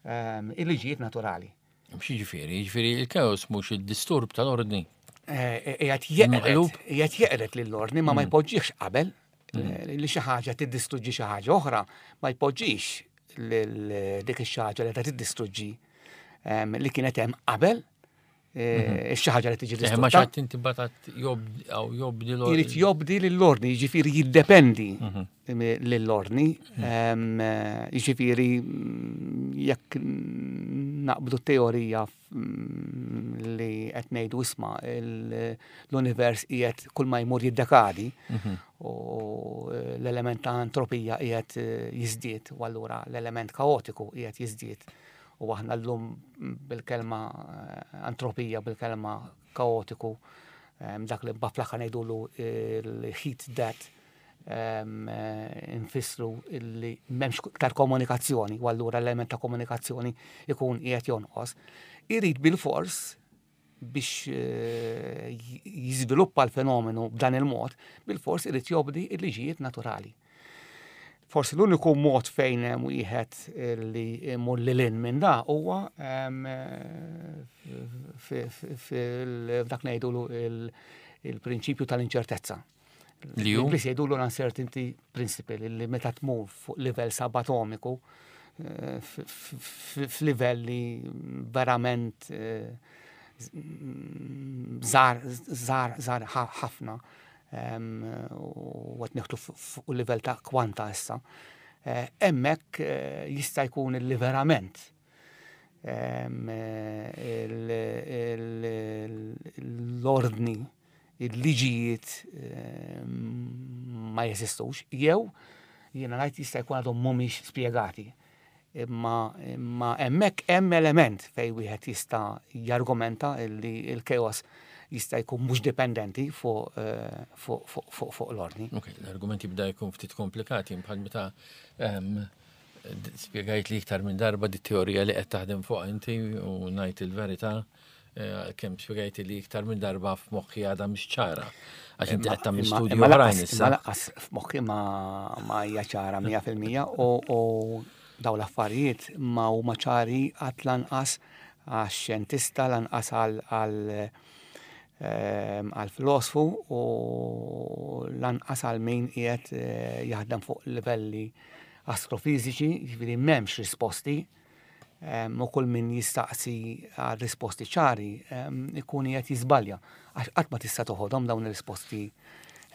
[SPEAKER 3] il-liġijiet naturali.
[SPEAKER 2] X'jiġifieri? Jiġifieri il-chaos mhux id-disturb tal-ordni.
[SPEAKER 3] Qiegħed jeqred, qiegħed jeqred lill-ordni ma ma jpoġġihx qabel li xi ħaġa tiddistruġġi xi ħaġa oħra, ma jpoġġix lil dik ix-xi ħaġa li qed tiddistruġġi em, li kienet hemm qabel eh, ix-xi ħaġa li tiġi
[SPEAKER 2] Eh, Ma
[SPEAKER 3] distrutta.
[SPEAKER 2] xatt inti batat jobdi l
[SPEAKER 3] Irid jobdi lill-ordni, jiġifieri jiddependi lill-ordni, Em, eh, jiġifieri mm, jekk naqbdu teorija mm, li qed ngħidu, isma', il- l-univers qiegħed kull ma jmur jiddekadi u l-element ta' entropija qiegħed eh, jiżdied u allura l-element kaotiku qiegħed jiżdied u aħna llum bil-kelma eh, entropija, bil-kelma kaotiku, em, dak li fl-aħħar ngħidulu il-heat death, em, eh, infissru illi m'hemmx iktar komunikazzjoni u allura l-element ta' komunikazzjoni ikun qiegħed jonqos. Irid bil-fors biex eh, jiżviluppa l-fenomenu b'dan il-mod, bil-fors irid jobdi il-liġijiet naturali. Forsi l-uniku mod fejn hemm wieħed li imur lil hinn minn da huwa em, fi- fi- fil- f'dak ngħidulu il- il-prinċipju tal-inċertezza.
[SPEAKER 2] Li hu?
[SPEAKER 3] L-Ingliż jgħidulu l-uncertainty principle, li meta tmur fuq livell subatomiku, eh, f- f- f'livell li verament eh, żgħar, żgħar, żgħar ħafna, em, u qed nieħdu fuq livell ta' kwanta issa. Eh, Hemmhekk eh, jista' jkun li verament em, eh, il- il- l-ordni, il-liġijiet em, ma jeżistux, jew jiena ngħid jista' jkun għadhom mhumiex spjegati. Imma imma hemmhekk hemm element fejn wieħed jista' jargumenta li l-chaos jista' jkun mhux dipendenti fuq eh, fuq fuq fuq fuq l-ordni.
[SPEAKER 2] Ok, l-argument jibda jkun ftit komplikati bħal meta em, d- spjegajt li iktar minn darba di teorija li qed taħdem fuq inti u ngħid il-verità eh, kemm spjegajt li iktar minn darba f'moħħi għadha mhix ċara. Għax inti qed tagħmel
[SPEAKER 3] Imma-
[SPEAKER 2] studju
[SPEAKER 3] imma
[SPEAKER 2] oħrajn
[SPEAKER 3] lanqas-
[SPEAKER 2] issa.
[SPEAKER 3] Imma lanqas f'moħħi ma ma hija ċara mija fil-mija u u daw l-affarijiet ma huma ċari qatt, lanqas għax-xjentista, lanqas għal għal ehm, għal filosfu u lanqas għal min qiegħed eh, jaħdem fuq livelli astrofiżiċi, jiġifieri m'hemmx risposti em, u kull min jistaqsi għal risposti ċari em, ikun qiegħed jiżbalja għax qatt ma tista' toħodhom dawn ir-risposti.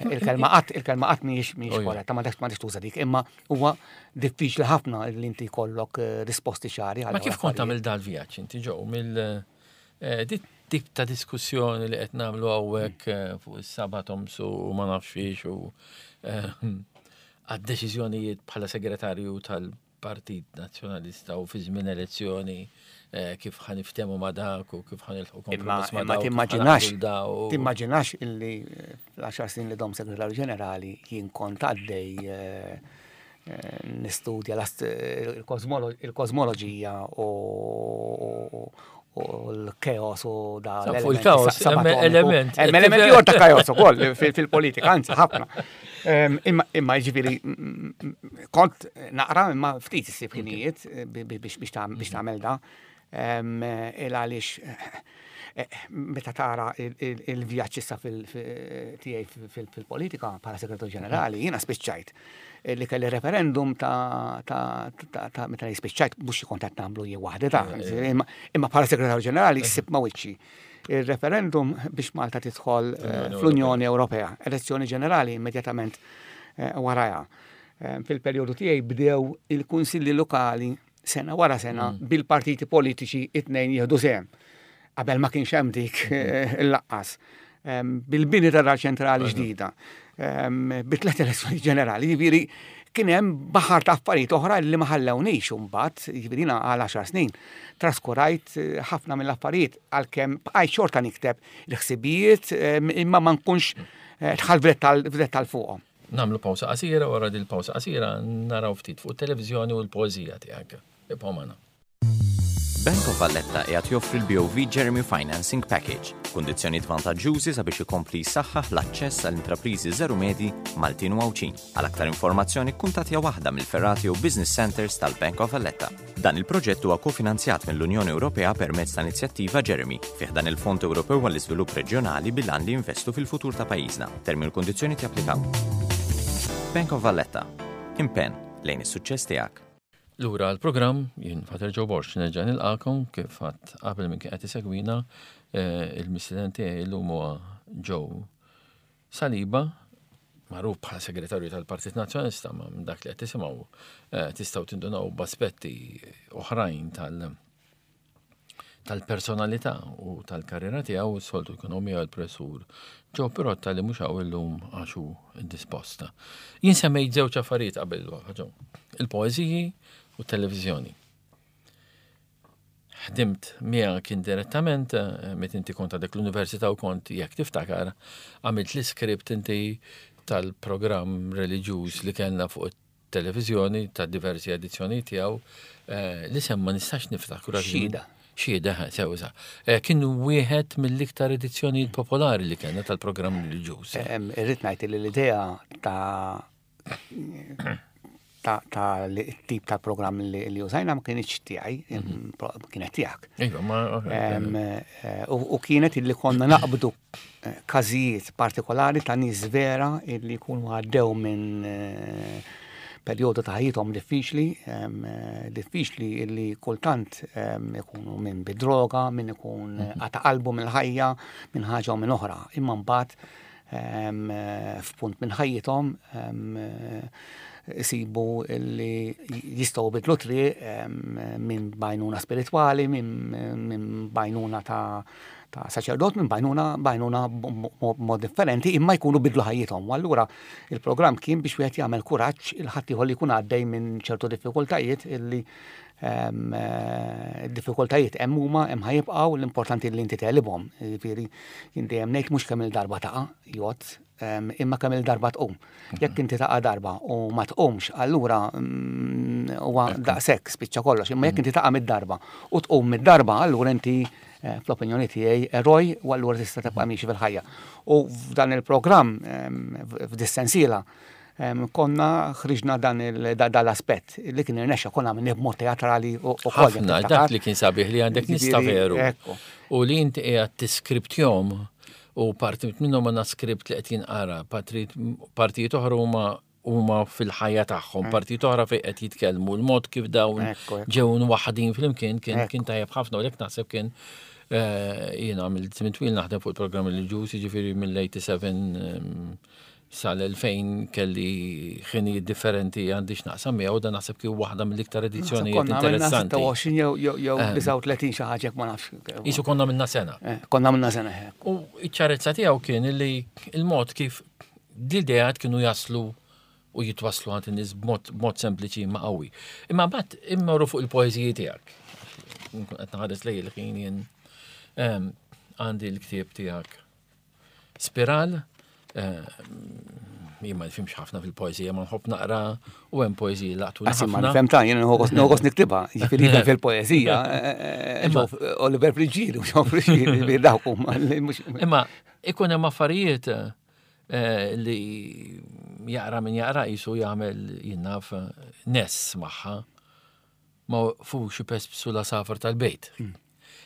[SPEAKER 3] Il-kelma qatt, il-kelma qatt mhijiex mhijiex
[SPEAKER 2] Oh, ja.
[SPEAKER 3] korretta, ma ma tuża dik, imma huwa diffiċli ħafna li inti jkollok eh, risposti ċari għal
[SPEAKER 2] Ma
[SPEAKER 3] dawn
[SPEAKER 2] kif kont
[SPEAKER 3] l-affarijiet.
[SPEAKER 2] tagħmel dal-vjaġġ inti ġew mill eh, dit tip ta' diskussjoni li qed nagħmlu hawnhekk eh, fuq is-subatoms u ma nafx fiex u eh, għad-deċiżjonijiet bħala segretarju tal-Partit Nazzjonalista u fi żmien elezzjoni eh, kif ħa niftehmu ma' dak u kif ħa nilħqu
[SPEAKER 3] Imma
[SPEAKER 2] kompromess ma'
[SPEAKER 3] imma
[SPEAKER 2] dak u kif
[SPEAKER 3] timmaġinax,
[SPEAKER 2] ħa naqblu da u-
[SPEAKER 3] timmaġinax illi eh, fl-għaxar snin li dom segretarju ġenerali jien kont għaddej eh, eh, nistudja l-ast- il-kosmolo- il-kosmoloġija u u l-chaos u da
[SPEAKER 2] Sa, fuq
[SPEAKER 3] l-elementi
[SPEAKER 2] il-chaos,
[SPEAKER 3] sa-
[SPEAKER 2] hemm
[SPEAKER 3] subatomiku.
[SPEAKER 2] element.
[SPEAKER 3] Hemm elementi ieħor ta' chaos ukoll fil- fil-politika, anzi ħafna. Em, Imma imma jiġifieri mm, mm, kont naqra imma ftit issib ħinijiet eh, bi- bi- biex biex tagħmel biex tagħmel da. Em, Il għaliex eh, meta tara il- il- il-vjaġġ issa tiegħi fil-politika bħala segretarju ġenerali, jiena spiċċajt li kelli referendum ta' ta' ta' ta' meta spiċċajt, mhux kont qed nagħmlu jien waħdi ta' imma imma bħala segretarju ġenerali ssib ma' wiċċi il-referendum biex Malta tidħol eh, fl-Unjoni Ewropea, elezzjoni ġenerali immedjatament eh, warajha. Eh, Fil-perjodu tiegħi bdew il-kunsilli lokali sena wara sena bil-partiti politiċi it-tnejn jieħdu sehem. Qabel ma kienx hemm dik eh, il-laqqas. Em, Bil-bini ta' dar ċentrali ġdida, em, bi tliet elezzjoni ġenerali, jiġifieri kien hemm baħar ta' affarijiet oħra li ma ħallewniex imbagħad, jiġifieri jiena għal għaxar snin traskurajt eh, ħafna mill-affarijiet, għalkemm bqajt xorta nikteb l-ħsibijiet em, imma ma nkunx eh, dħalt f'dettal fuqhom.
[SPEAKER 2] Nagħmlu pawsa qasira, wara dil pawsa qasira naraw ftit fuq it-televiżjoni u l-poeżija tiegħek. Ibqgħu magħna.
[SPEAKER 5] Bank of Valletta qiegħed joffri l-B O V Jeremy Financing Package, kundizzjonijiet vantaġġużi sabiex ikompli jsaħħaħ l-aċċess għall intrapriżi żgħar u medji Maltin u Għawdxin. Għal aktar informazzjoni kuntattja waħda mill-fergħat u business centers tal-Bank of Valletta. Dan il-proġett huwa kofinanzjat mill-Unjoni Ewropea permezz ta' inizjattiva Jeremy fi ħdan il-Fond Ewropew għall-Iżvilupp Reġjonali bil-għan li jinvestu fil-futur ta' pajjiżna. Termini u kundizzjoni japplikaw. Bank of Valletta. Impenn lejn is-suċċess tiegħek.
[SPEAKER 2] Lura għall-programm, jien Father Joe Borg nerġa' nilqakom kif għedt qabel minn kien qed isegwina eh, il-mistieden tiegħi llum huwa Joe Saliba, magħruf bħala segretarju tal-Partit Nazzjonalista, ma minn dak li qed tisimgħu eh, tistgħu tindunaw b'aspetti oħrajn tal- tal-personalità u tal-karriera tiegħu. Soltu jkun miegħu l-professur Joe Pirotta li mhux hawn illum għax hu indisposta. Jien semmejt żewġ affarijiet qabel ġew. Il-poeżiji u t-televiżjoni. Ħdimt miegħek indirettament eh, meta inti kont għadek l-università u kont, jekk tiftakar, għamilt l-iskript inti tal-programm reliġjuż li kellna fuq it-televiżjoni ta' diversi edizzjoni tiegħu eh, li semma nistax niftakru.
[SPEAKER 3] Xhieda.
[SPEAKER 2] Xhieda, sew sa. Eh, Kien wieħed mill-iktar edizzjonijiet popolari li kellna tal-programm reliġjuż.
[SPEAKER 3] Em, Irrid ngħid li l-idea ta' ta' ta' li tip ta' programm li, li użajna ma kienx tiegħi, em, pro- kienet tiegħek.
[SPEAKER 2] Iva, ma.
[SPEAKER 3] Em, eh, U u kienet illi konna naqbdu eh, każijiet partikolari ta' nies vera illi jkunu għaddew minn eh, perjodu ta' ħajjithom diffiċli, em, eh, diffiċli illi kultant em, ikunu minn bid-droga, minn ikun qata' qalbu mill-ħajja, minn ħaġa u minn oħra. Imma mbagħad em, eh, f'punt minn ħajjithom em, eh, isibu illi jistgħu bidlu triq em, minn b'għajnuna spiritwali, minn minn b'għajnuna ta' ta' saċerdot, minn b'għajnuna b'għajnuna mod differenti, imma jkunu bidlu ħajjithom. U allura il-programm kien biex wieħed jagħmel kuraġġ lil ħaddieħor li jkun għaddej minn ċertu diffikultajiet illi em, eh, diffikultajiet hemm huma, hemm ħa jibqgħu, l-importanti li inti tegħlibhom. Jiġifieri jien dejjem ngħid mhux kemm il-darba taqa' jgħod, em, imma kemm il-darba tqum. Jekk inti taqa' darba u ma tqumx, allura mm, huwa daqshekk, spiċċa kollox. Imma jekk inti taqa' mid-darba u tqum mid-darba, allura inti eh, fl-opinjoni tiegħi eroj u allura tista' tibqa' miexi fil-ħajja. U f'dan il-programm, em, f'dis-sensiela, em, konna ħriġna dan il- da- dal-aspett li kien irnexxa, konna minn b'mod teatrali u u koll, jekk
[SPEAKER 2] Ħafna,
[SPEAKER 3] tiftakar.
[SPEAKER 2] dak li kien sabiħ li għandek nista
[SPEAKER 3] Jiġifieri,
[SPEAKER 2] veru.
[SPEAKER 3] ekku.
[SPEAKER 2] U li inti qiegħed tiskriptjom u parti minnhom għandna skript li qed jinqara, partijiet partijiet oħra huma huma fil-ħajja tagħhom, partijiet oħra fejn qed jitkellmu, l-mod kif dawn
[SPEAKER 3] Ekku, ekku.
[SPEAKER 2] ġew waħdin flimkien kien
[SPEAKER 3] Ekku.
[SPEAKER 2] kien tajjeb ħafna u lek naħseb kien eh, jiena għamilt żmien twil naħdem fuq il-programm reliġjuż, jiġifieri mill-tminja u sebgħin ehm, sal-elfejn kelli ħinijiet differenti għandi x'naqsam miegħu, dan naħseb kien waħda mill-iktar edizzjonijiet
[SPEAKER 3] Konna għamilna
[SPEAKER 2] interessanti.
[SPEAKER 3] sitta u għoxrin jew jew jew disgħa u tletin xi ħaġa, ma nafx.
[SPEAKER 2] Isu konna minna sena.
[SPEAKER 3] Eh, Konna għamilna sena hekk.
[SPEAKER 2] U iċ-ċarezza tiegħu kien li il-mod kif l-ideat kienu jaslu u jitwaslu għand in-nies b'mod b'mod sempliċi ma qawwi. Imma mbagħad immorru fuq il-poeżiji tiegħek. Nkun qed naħares lej il-ħin jien em, għandi l-ktieb tiegħek Spiral, eh, jien ma nifhimx ħafna fil-poeżija, ma nħobb naqra u hemm poeżiji laqtu
[SPEAKER 3] Għax ma
[SPEAKER 2] ħafna.
[SPEAKER 3] nifhem ta' jien nħoss niktibha, jiġifieri nifhem fil-poeżija. eh,
[SPEAKER 2] Imma-
[SPEAKER 3] ġew Oliver Friggieri, ġew Friggieri, jiġifieri dawk huma li mhux.
[SPEAKER 2] Imma ikun hemm affarijiet eh, li jaqra min jaqra jisu jagħmel jinnaf ness magħha ma fux ipespsu l-għasafar tal-bejt.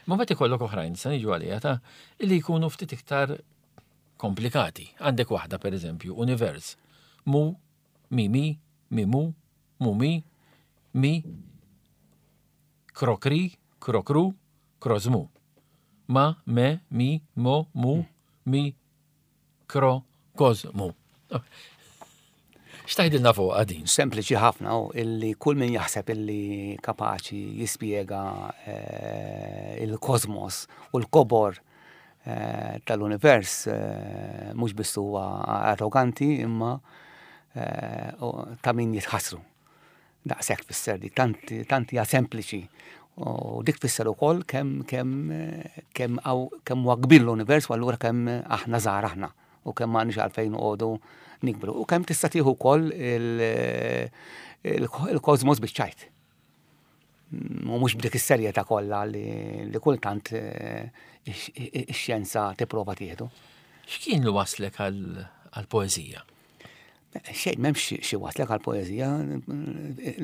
[SPEAKER 2] Ma mbagħad ikollok oħrajn, sa niġu għalija ta' li jkunu ftit iktar komplikati. Għandek waħda, per eżempju, Univers. Mu, mi, mi, mi, mu, mu, mi, mi, krokri, krokru, krozmu. Ma, me, mi, mo, mu, mi, kro, kozmu. X'tgħidilna fuq din?
[SPEAKER 3] Sempliċi ħafna u illi kull min jaħseb illi kapaċi jispjega eh, il-kosmos u l-kobor eh, tal-univers eh, mhux biss huwa arroganti imma eh, u ta' min jitħassru. Daqshekk tfisser dik, tant tant hija sempliċi. U dik tfisser ukoll kemm kemm kemm kemm huwa kbir l-univers u allura kemm aħna żgħar aħna u kemm m'għandniex għalfejn noqogħdu nikbru. U kemm tista' tieħu wkoll il-kosmos biċ-ċajt. U mhux b'dik is-serjetà kollha li, li kultant eh, ix-xjenza tipprova tieħdu.
[SPEAKER 2] X'kien li waslek għal-poeżija?
[SPEAKER 3] Xejn, m'hemmx xi waslek għal-poeżija.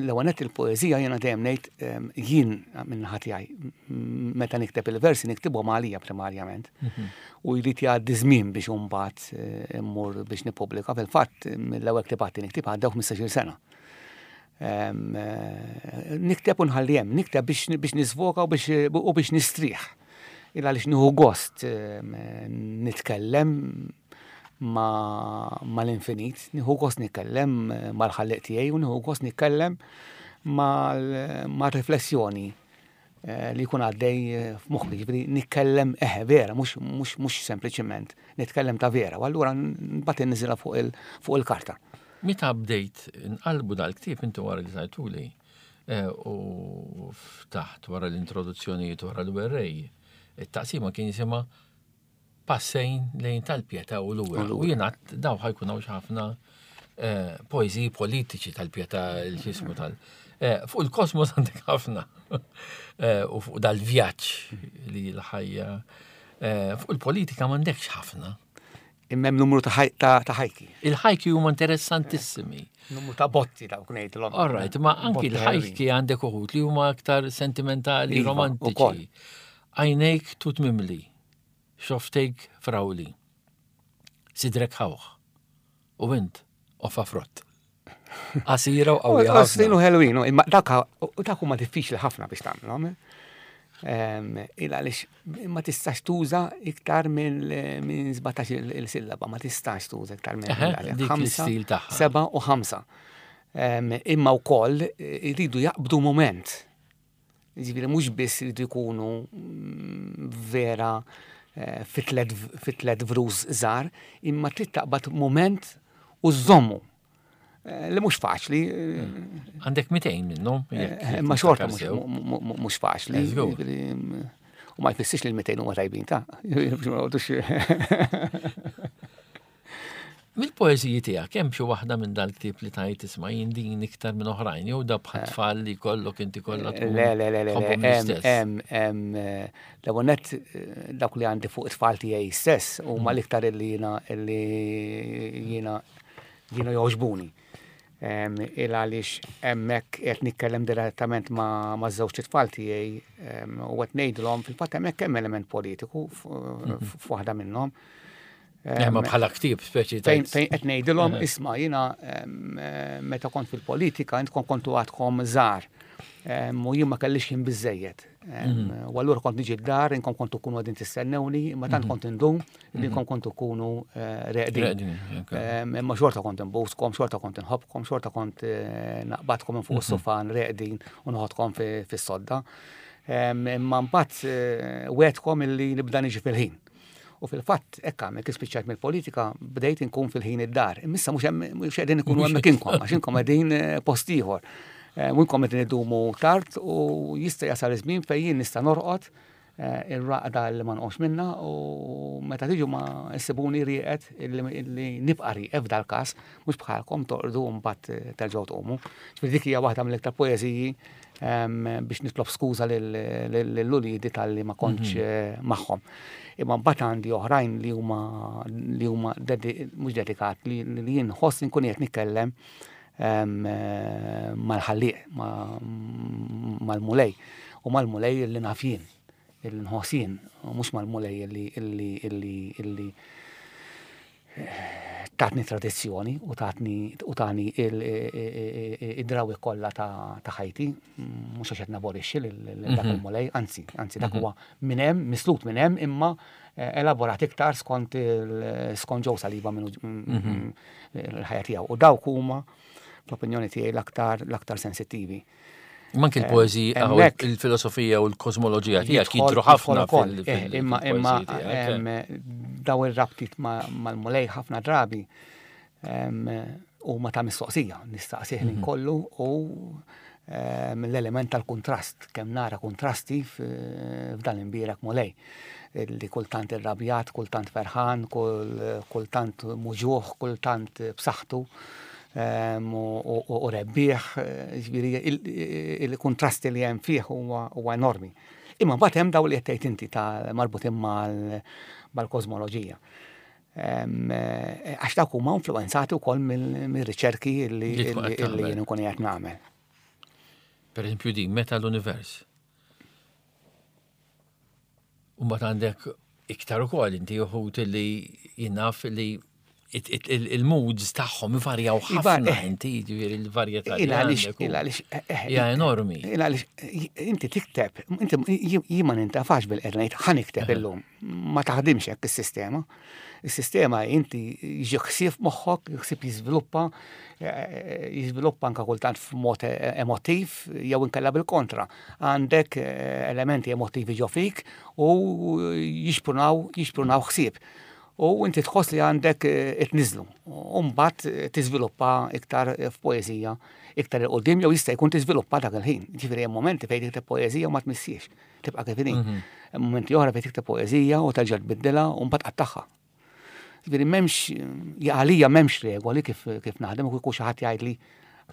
[SPEAKER 3] L-ewwel nett, il-poeżija jiena dejjem ngħid em, jien minn naħa tiegħi meta nikteb il-versi niktibhom għalija primarjament. U jrid jgħaddi żmien biex imbagħad eh, immur biex nippubblika. Fil-fatt mill-ewwel ktibati niktib għaddew ħmistax-il sena. Eh, nikteb u nħalli hemm, nikteb biex nisvoka u biex nistrieħ. Il għaliex nieħu gost nitkellem mal-infinit, nieħu gost nitkellem mal-ħalliq tiegħi u nieħu gost nitkellem mal-riflessjoni li jkun għaddej f'moħħi, ġifieri nitkellem eħe vera, mhux sempliċement nitkellem ta' vera, u allura mbagħad inniżilha fuq il-karta.
[SPEAKER 2] Meta bdejt nqalbu dal-ktieb inti wara li tajtuli u ftaħt wara l-introduzzjonijiet wara l-werrej, it-taqsima kien jisimha Passejn lejn tal-Pietà u lura. U jiena daw ħajkun hawn ħafna poeżiji politiċi tal-Pietà, il-ġismu tal. Fuq il-kosmos għandek ħafna u fuq dal-vjaġġ li l-ħajja. Fuq il-politika m'għandekx ħafna.
[SPEAKER 3] Imma hemm numru ta' ħajki.
[SPEAKER 2] Il-ħajki huma interessantissimi.
[SPEAKER 3] Numru ta' botti dawk ngħidilhom.
[SPEAKER 2] All right, ma anki l-ħajki għandek uħud li huma aktar sentimentali, romantiċi. Għajnejk tut mimli, xoftejk frawli, sidrek ħawħ, u int ofa frott. Qasira u qawwija.
[SPEAKER 3] Qasira u ħelwin, imma dak huma diffiċli ħafna biex tagħmilhom. Il għaliex ma tistax tuża iktar minn sbatax il-sillaba, ma tistax tuża iktar minn
[SPEAKER 2] ħamsa,
[SPEAKER 3] seba' u ħamsa. Imma wkoll iridu jaqbdu moment. Ġifieri mhux biss iridu jkunu vera fit tliet vrus żgħar, imma trid taqbad moment u żommu. Li mhux faċli.
[SPEAKER 2] Għandek mitejn minnhom.
[SPEAKER 3] Imma xorta mhux faċli. U ma jfissirx li l-mitejn huma tajbin ta'.
[SPEAKER 2] Mill-poeżiji tiegħek hemm xi waħda minn dal-ktieb li tajt isma' jien din iktar minn oħrajn jew da bħal tfal li kollok inti kollha tkun.
[SPEAKER 3] Le, le, le, le, hemm hemm l-ewwel nett dawk li għandi fuq it-tfal tiegħi stess huma l-iktar illi jiena illi jiena jiena jogħġbuni. Il għaliex hemmhekk qed nitkellem direttament ma' żewġ it-tfal tiegħi u qed ngħidilhom fil-fatt hemmhekk hemm element politiku f'waħda minnhom.
[SPEAKER 2] Ma bħala ktieb speċi
[SPEAKER 3] fejn qed ngħidilhom isma' jiena meta kont fil-politika intkom kontu għadkom żgħar u jien ma kellix ħin biżejjed. U allura kont niġi d-dar, inkom kontu kunu għadin tistennewni, imma tant kont indum li inkom kontu kunu reqdin. Imma xorta kont inbuskom, xorta kont inħobbkom, xorta kont naqbadkom minn fuq is-sofan reqdin u noħodkom fis-sodda. Imma mbagħad wegħdkom illi nibda niġi fil-ħin. U fil-fatt, hekk għamel, kif spiċċajt mill-politika, bdejt inkun fil-ħin id-dar. Imma mhux mhux qegħdin ikunu hemmhekk inkom, għax inkom qegħdin post ieħor. U inkom qegħdin idumu tard u jista' jasal iż-żmien fejn jien nista' norqod ir-raqda li ma nqomx minnha u meta tiġu ma issibuni rieqed illi nibqa' rieqed f'dal-każ, mhux bħalkom torqdu u mbagħad terġgħu tqumu. Ġifieri dik hija waħda mill-iktar poeżiji biex nitlob skuża lil uliedi tal-li ma kontx magħhom. Imma mbagħad għandi oħrajn li huma li huma mhux dedikat li jien nħoss inkun qed nitkellem mal-ħallieq, mal-mulej u mal-mulej li naf jien, li nħoss jien, u mhux mal-mulej illi illi illi illi tatni tradizzjoni u tatni u tani id-drawi kollha ta' ħajti, mhux għax qed naborixxi lil dak il-mulej, anzi, anzi dak huwa minn hemm, mislut minn hemm, imma elaborat iktar skont skont Joe Saliba minn il-ħajja tiegħu. U dawk huma fl-opinjoni tiegħi l-aktar l-aktar sensittivi.
[SPEAKER 2] Manki l-poeżija, il-filosofija u l-kosmoloġija tiegħek jidhru ħafna
[SPEAKER 3] fil Imma imma daw ir-rabtiet mal-mulej ħafna drabi huma ta' mistoqsija, nistaqsih li kollu u l-element tal-kontrast, kemm nara kontrasti f'dan l-imbierek mulej. Li kultant irrabjat, kultant ferħan, kultant muġuħ, kultant b'saħħtu. U rebbieħ, ġifieri il-kontrasti li hemm fih huwa enormi. Imma mbagħad hemm daw li qed tgħid inti ta' marbutin mal-kosmoloġija. Għax dawk huma influenzati wkoll mir-riċerki li jien nkun qed nagħmel.
[SPEAKER 2] Per eżempju din, meta l-univers. U mbagħad għandek iktar ukoll inti uħud li jien naf li Il-moods tagħhom ivarjaw ħafna
[SPEAKER 3] eh.
[SPEAKER 2] inti, ġifieri il-varjetà li
[SPEAKER 3] Il għaliex,
[SPEAKER 2] għandek u-
[SPEAKER 3] il għaliex, eh, eh,
[SPEAKER 2] hija enormi.
[SPEAKER 3] Il għaliex, inti tikteb, inti jien ma nintafax bil-qed ngħid ħa nikteb illum. Ma taħdimx hekk is-sistema. Is-sistema inti jiġi ħsieb moħħok, ħsieb jiżviluppa, eh, jiżviluppa anka kultant f'mod emotiv jew inkella bil-kontra. Għandek eh, elementi emotivi ġo fik u jixprunaw jixprunaw ħsieb. U inti tħoss li għandek eh, itniżlu. U mbagħad eh, tiżviluppa iktar eh, f'poeżija, iktar 'il quddiem jew jista' jkun tiżviluppa dak il-ħin. Ġifieri hemm momenti fejn tikteb poeżija u ma tmissiex, tibqa' kif inhi. Hemm momenti oħra fejn tikteb poeżija u terġa' tbiddilha u mbagħad tqattagħha. Ġifieri m'hemmx għalija m'hemmx regoli kif kif naħdem u kieku xi ħadd jgħidli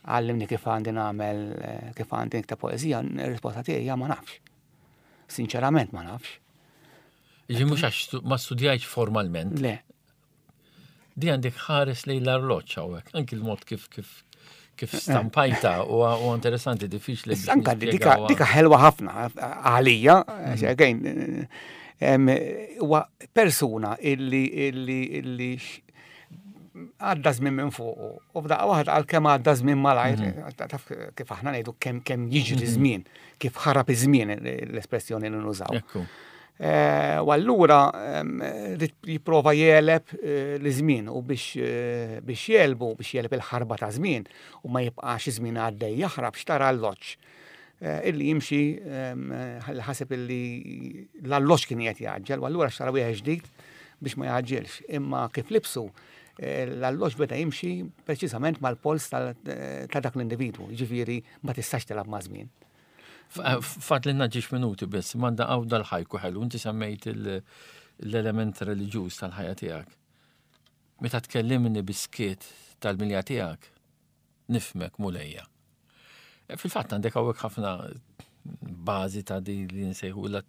[SPEAKER 3] għallimni kif għandi nagħmel eh, kif għandi nikteb poeżija, ir-risposta tiegħi hija ma nafx. Sinċerament ma nafx.
[SPEAKER 2] Ġi mhux għax stu- ma studjajtx formalment.
[SPEAKER 3] Le,
[SPEAKER 2] Di għandek ħares lejn l-arloġġ hawnhekk, anki l-mod kif kif kif stampajta u u interessanti, diffiċli biex
[SPEAKER 3] Anka dika,
[SPEAKER 2] nispjegawha.
[SPEAKER 3] dika ħelwa ħafna għalija, again, em, huwa persuna illi illi illi x- għadda żmien minn fuq u f'daqqa waħda għal kemm għadda żmien malajr, taf kif aħna ngħidu kemm kemm jiġri żmien, kif ħarab iż-żmien l-espressjoni li nużaw.
[SPEAKER 2] Ekku.
[SPEAKER 3] Eh, U allura em, rrid jipprova jegħleb eh, l-żmien u biex eh, biex jegħlbu, biex jegħleb il-ħarba ta' żmien u ma jibqax iż-żmien għaddej jaħrab xtara alloġġ eh, illi jimxi em, eh, ħaseb illi l-alloġġ kien qed jgħaġġel u allura xtara wieħed ġdid biex ma jgħaġġelx. Imma kif libsu eh, l-alloġġ beda jimxi preċiżament mal-pols tal- eh, ta' dak l-individwu, ġifieri ma tistax tilgħab ma' żmien.
[SPEAKER 2] Fadlilna żewġ minuti biss, manda għaw dal-ħajku ħelu, inti semmejt il- l-element reliġjuż tal-ħajja tiegħek. Meta tkellimni bis-skiet tal-milja tiegħek, nifhmek, Mulejja. E, Fil-fatt għandek hawnhekk ħafna bażi ta' di li nsejħu la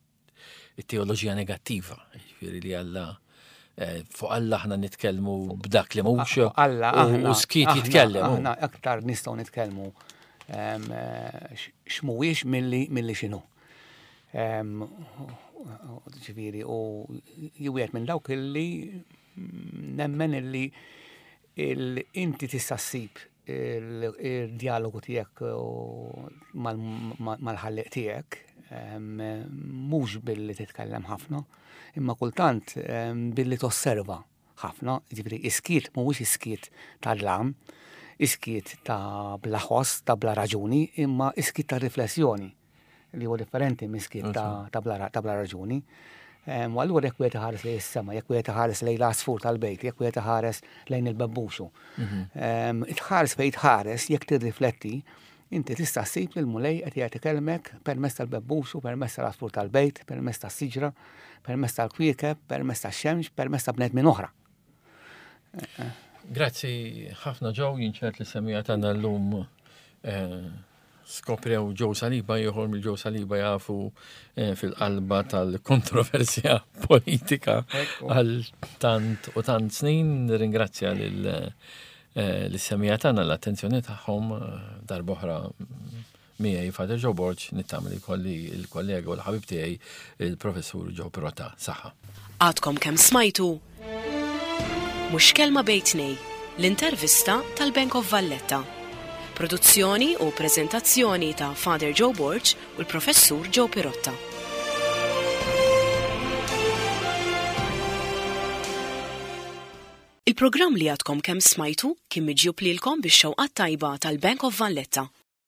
[SPEAKER 2] teoloġija negattiva, ġifieri li Alla eh, fuq Alla aħna nitkellmu b'dak li mhux
[SPEAKER 3] Alla,
[SPEAKER 2] u-
[SPEAKER 3] aħna,
[SPEAKER 2] u skiet
[SPEAKER 3] aħna-
[SPEAKER 2] jitkellem. hu.
[SPEAKER 3] Aħna aktar nistgħu nitkellmu em, eh, x- x'mhuwiex milli milli x'inhu. Em, Ġifieri u jien minn dawk illi nemmen illi il- inti tista' ssib il- il-dialogu tiegħek u mal- mal- mal-ħalliq tiegħek em, mhux billi titkellem ħafna, imma kultant em, billi tosserva ħafna, ġifieri is-skiet mhuwiex is-skiet ta' dlam, is-skiet ta' bla ħoss, ta' bla raġuni, imma is-skiet ta' riflessjoni li huwa differenti minn skiet ta' ta' bla ta' bla raġuni. Em, U allura jekk wieħed iħares lejn is-sema, jekk wieħed iħares lejn l-għasfur tal-bejt, jekk wieħed iħares lejn il-bebbuxu. Em, Tħares fejn tħares, jekk tirrifletti, inti tista' ssib li l-Mulej qed jagħti kelmek permezz tal-bebbuxu, permezz tal-għasfur tal-bejt, permezz tas-siġra, permezz tal-kwiekeb, permezz tax-xemx, permezz ta' bnedmin oħra.
[SPEAKER 2] Grazzi ħafna Joe, jien ċert li semmiegħa tagħna llum eh, skoprew Joe Saliba, ieħor mill Joe Saliba jafu eh, fil-qalba tal-kontroversja politika għal tant u tant snin. Ringrazzja lil eh, l-semmiegħa tagħna l-attenzjoni tagħhom eh, darb'oħra miegħi Father Joe Borg, nittama li kolli il-kollega u l-ħabib tiegħi il-professur Joe Pirotta. Saħħa.
[SPEAKER 1] Għadkom kemm smajtu Mhux Kelma Bejn Tnejn, l-intervista tal-Bank of Valletta. Produzzjoni u prezentazzjoni ta' Father Joe Borg u l-professur Joe Pirotta. Il-programm li għadkom kemm smajtu kien miġjub lilkom bix-xewqat tajba tal-Bank of Valletta.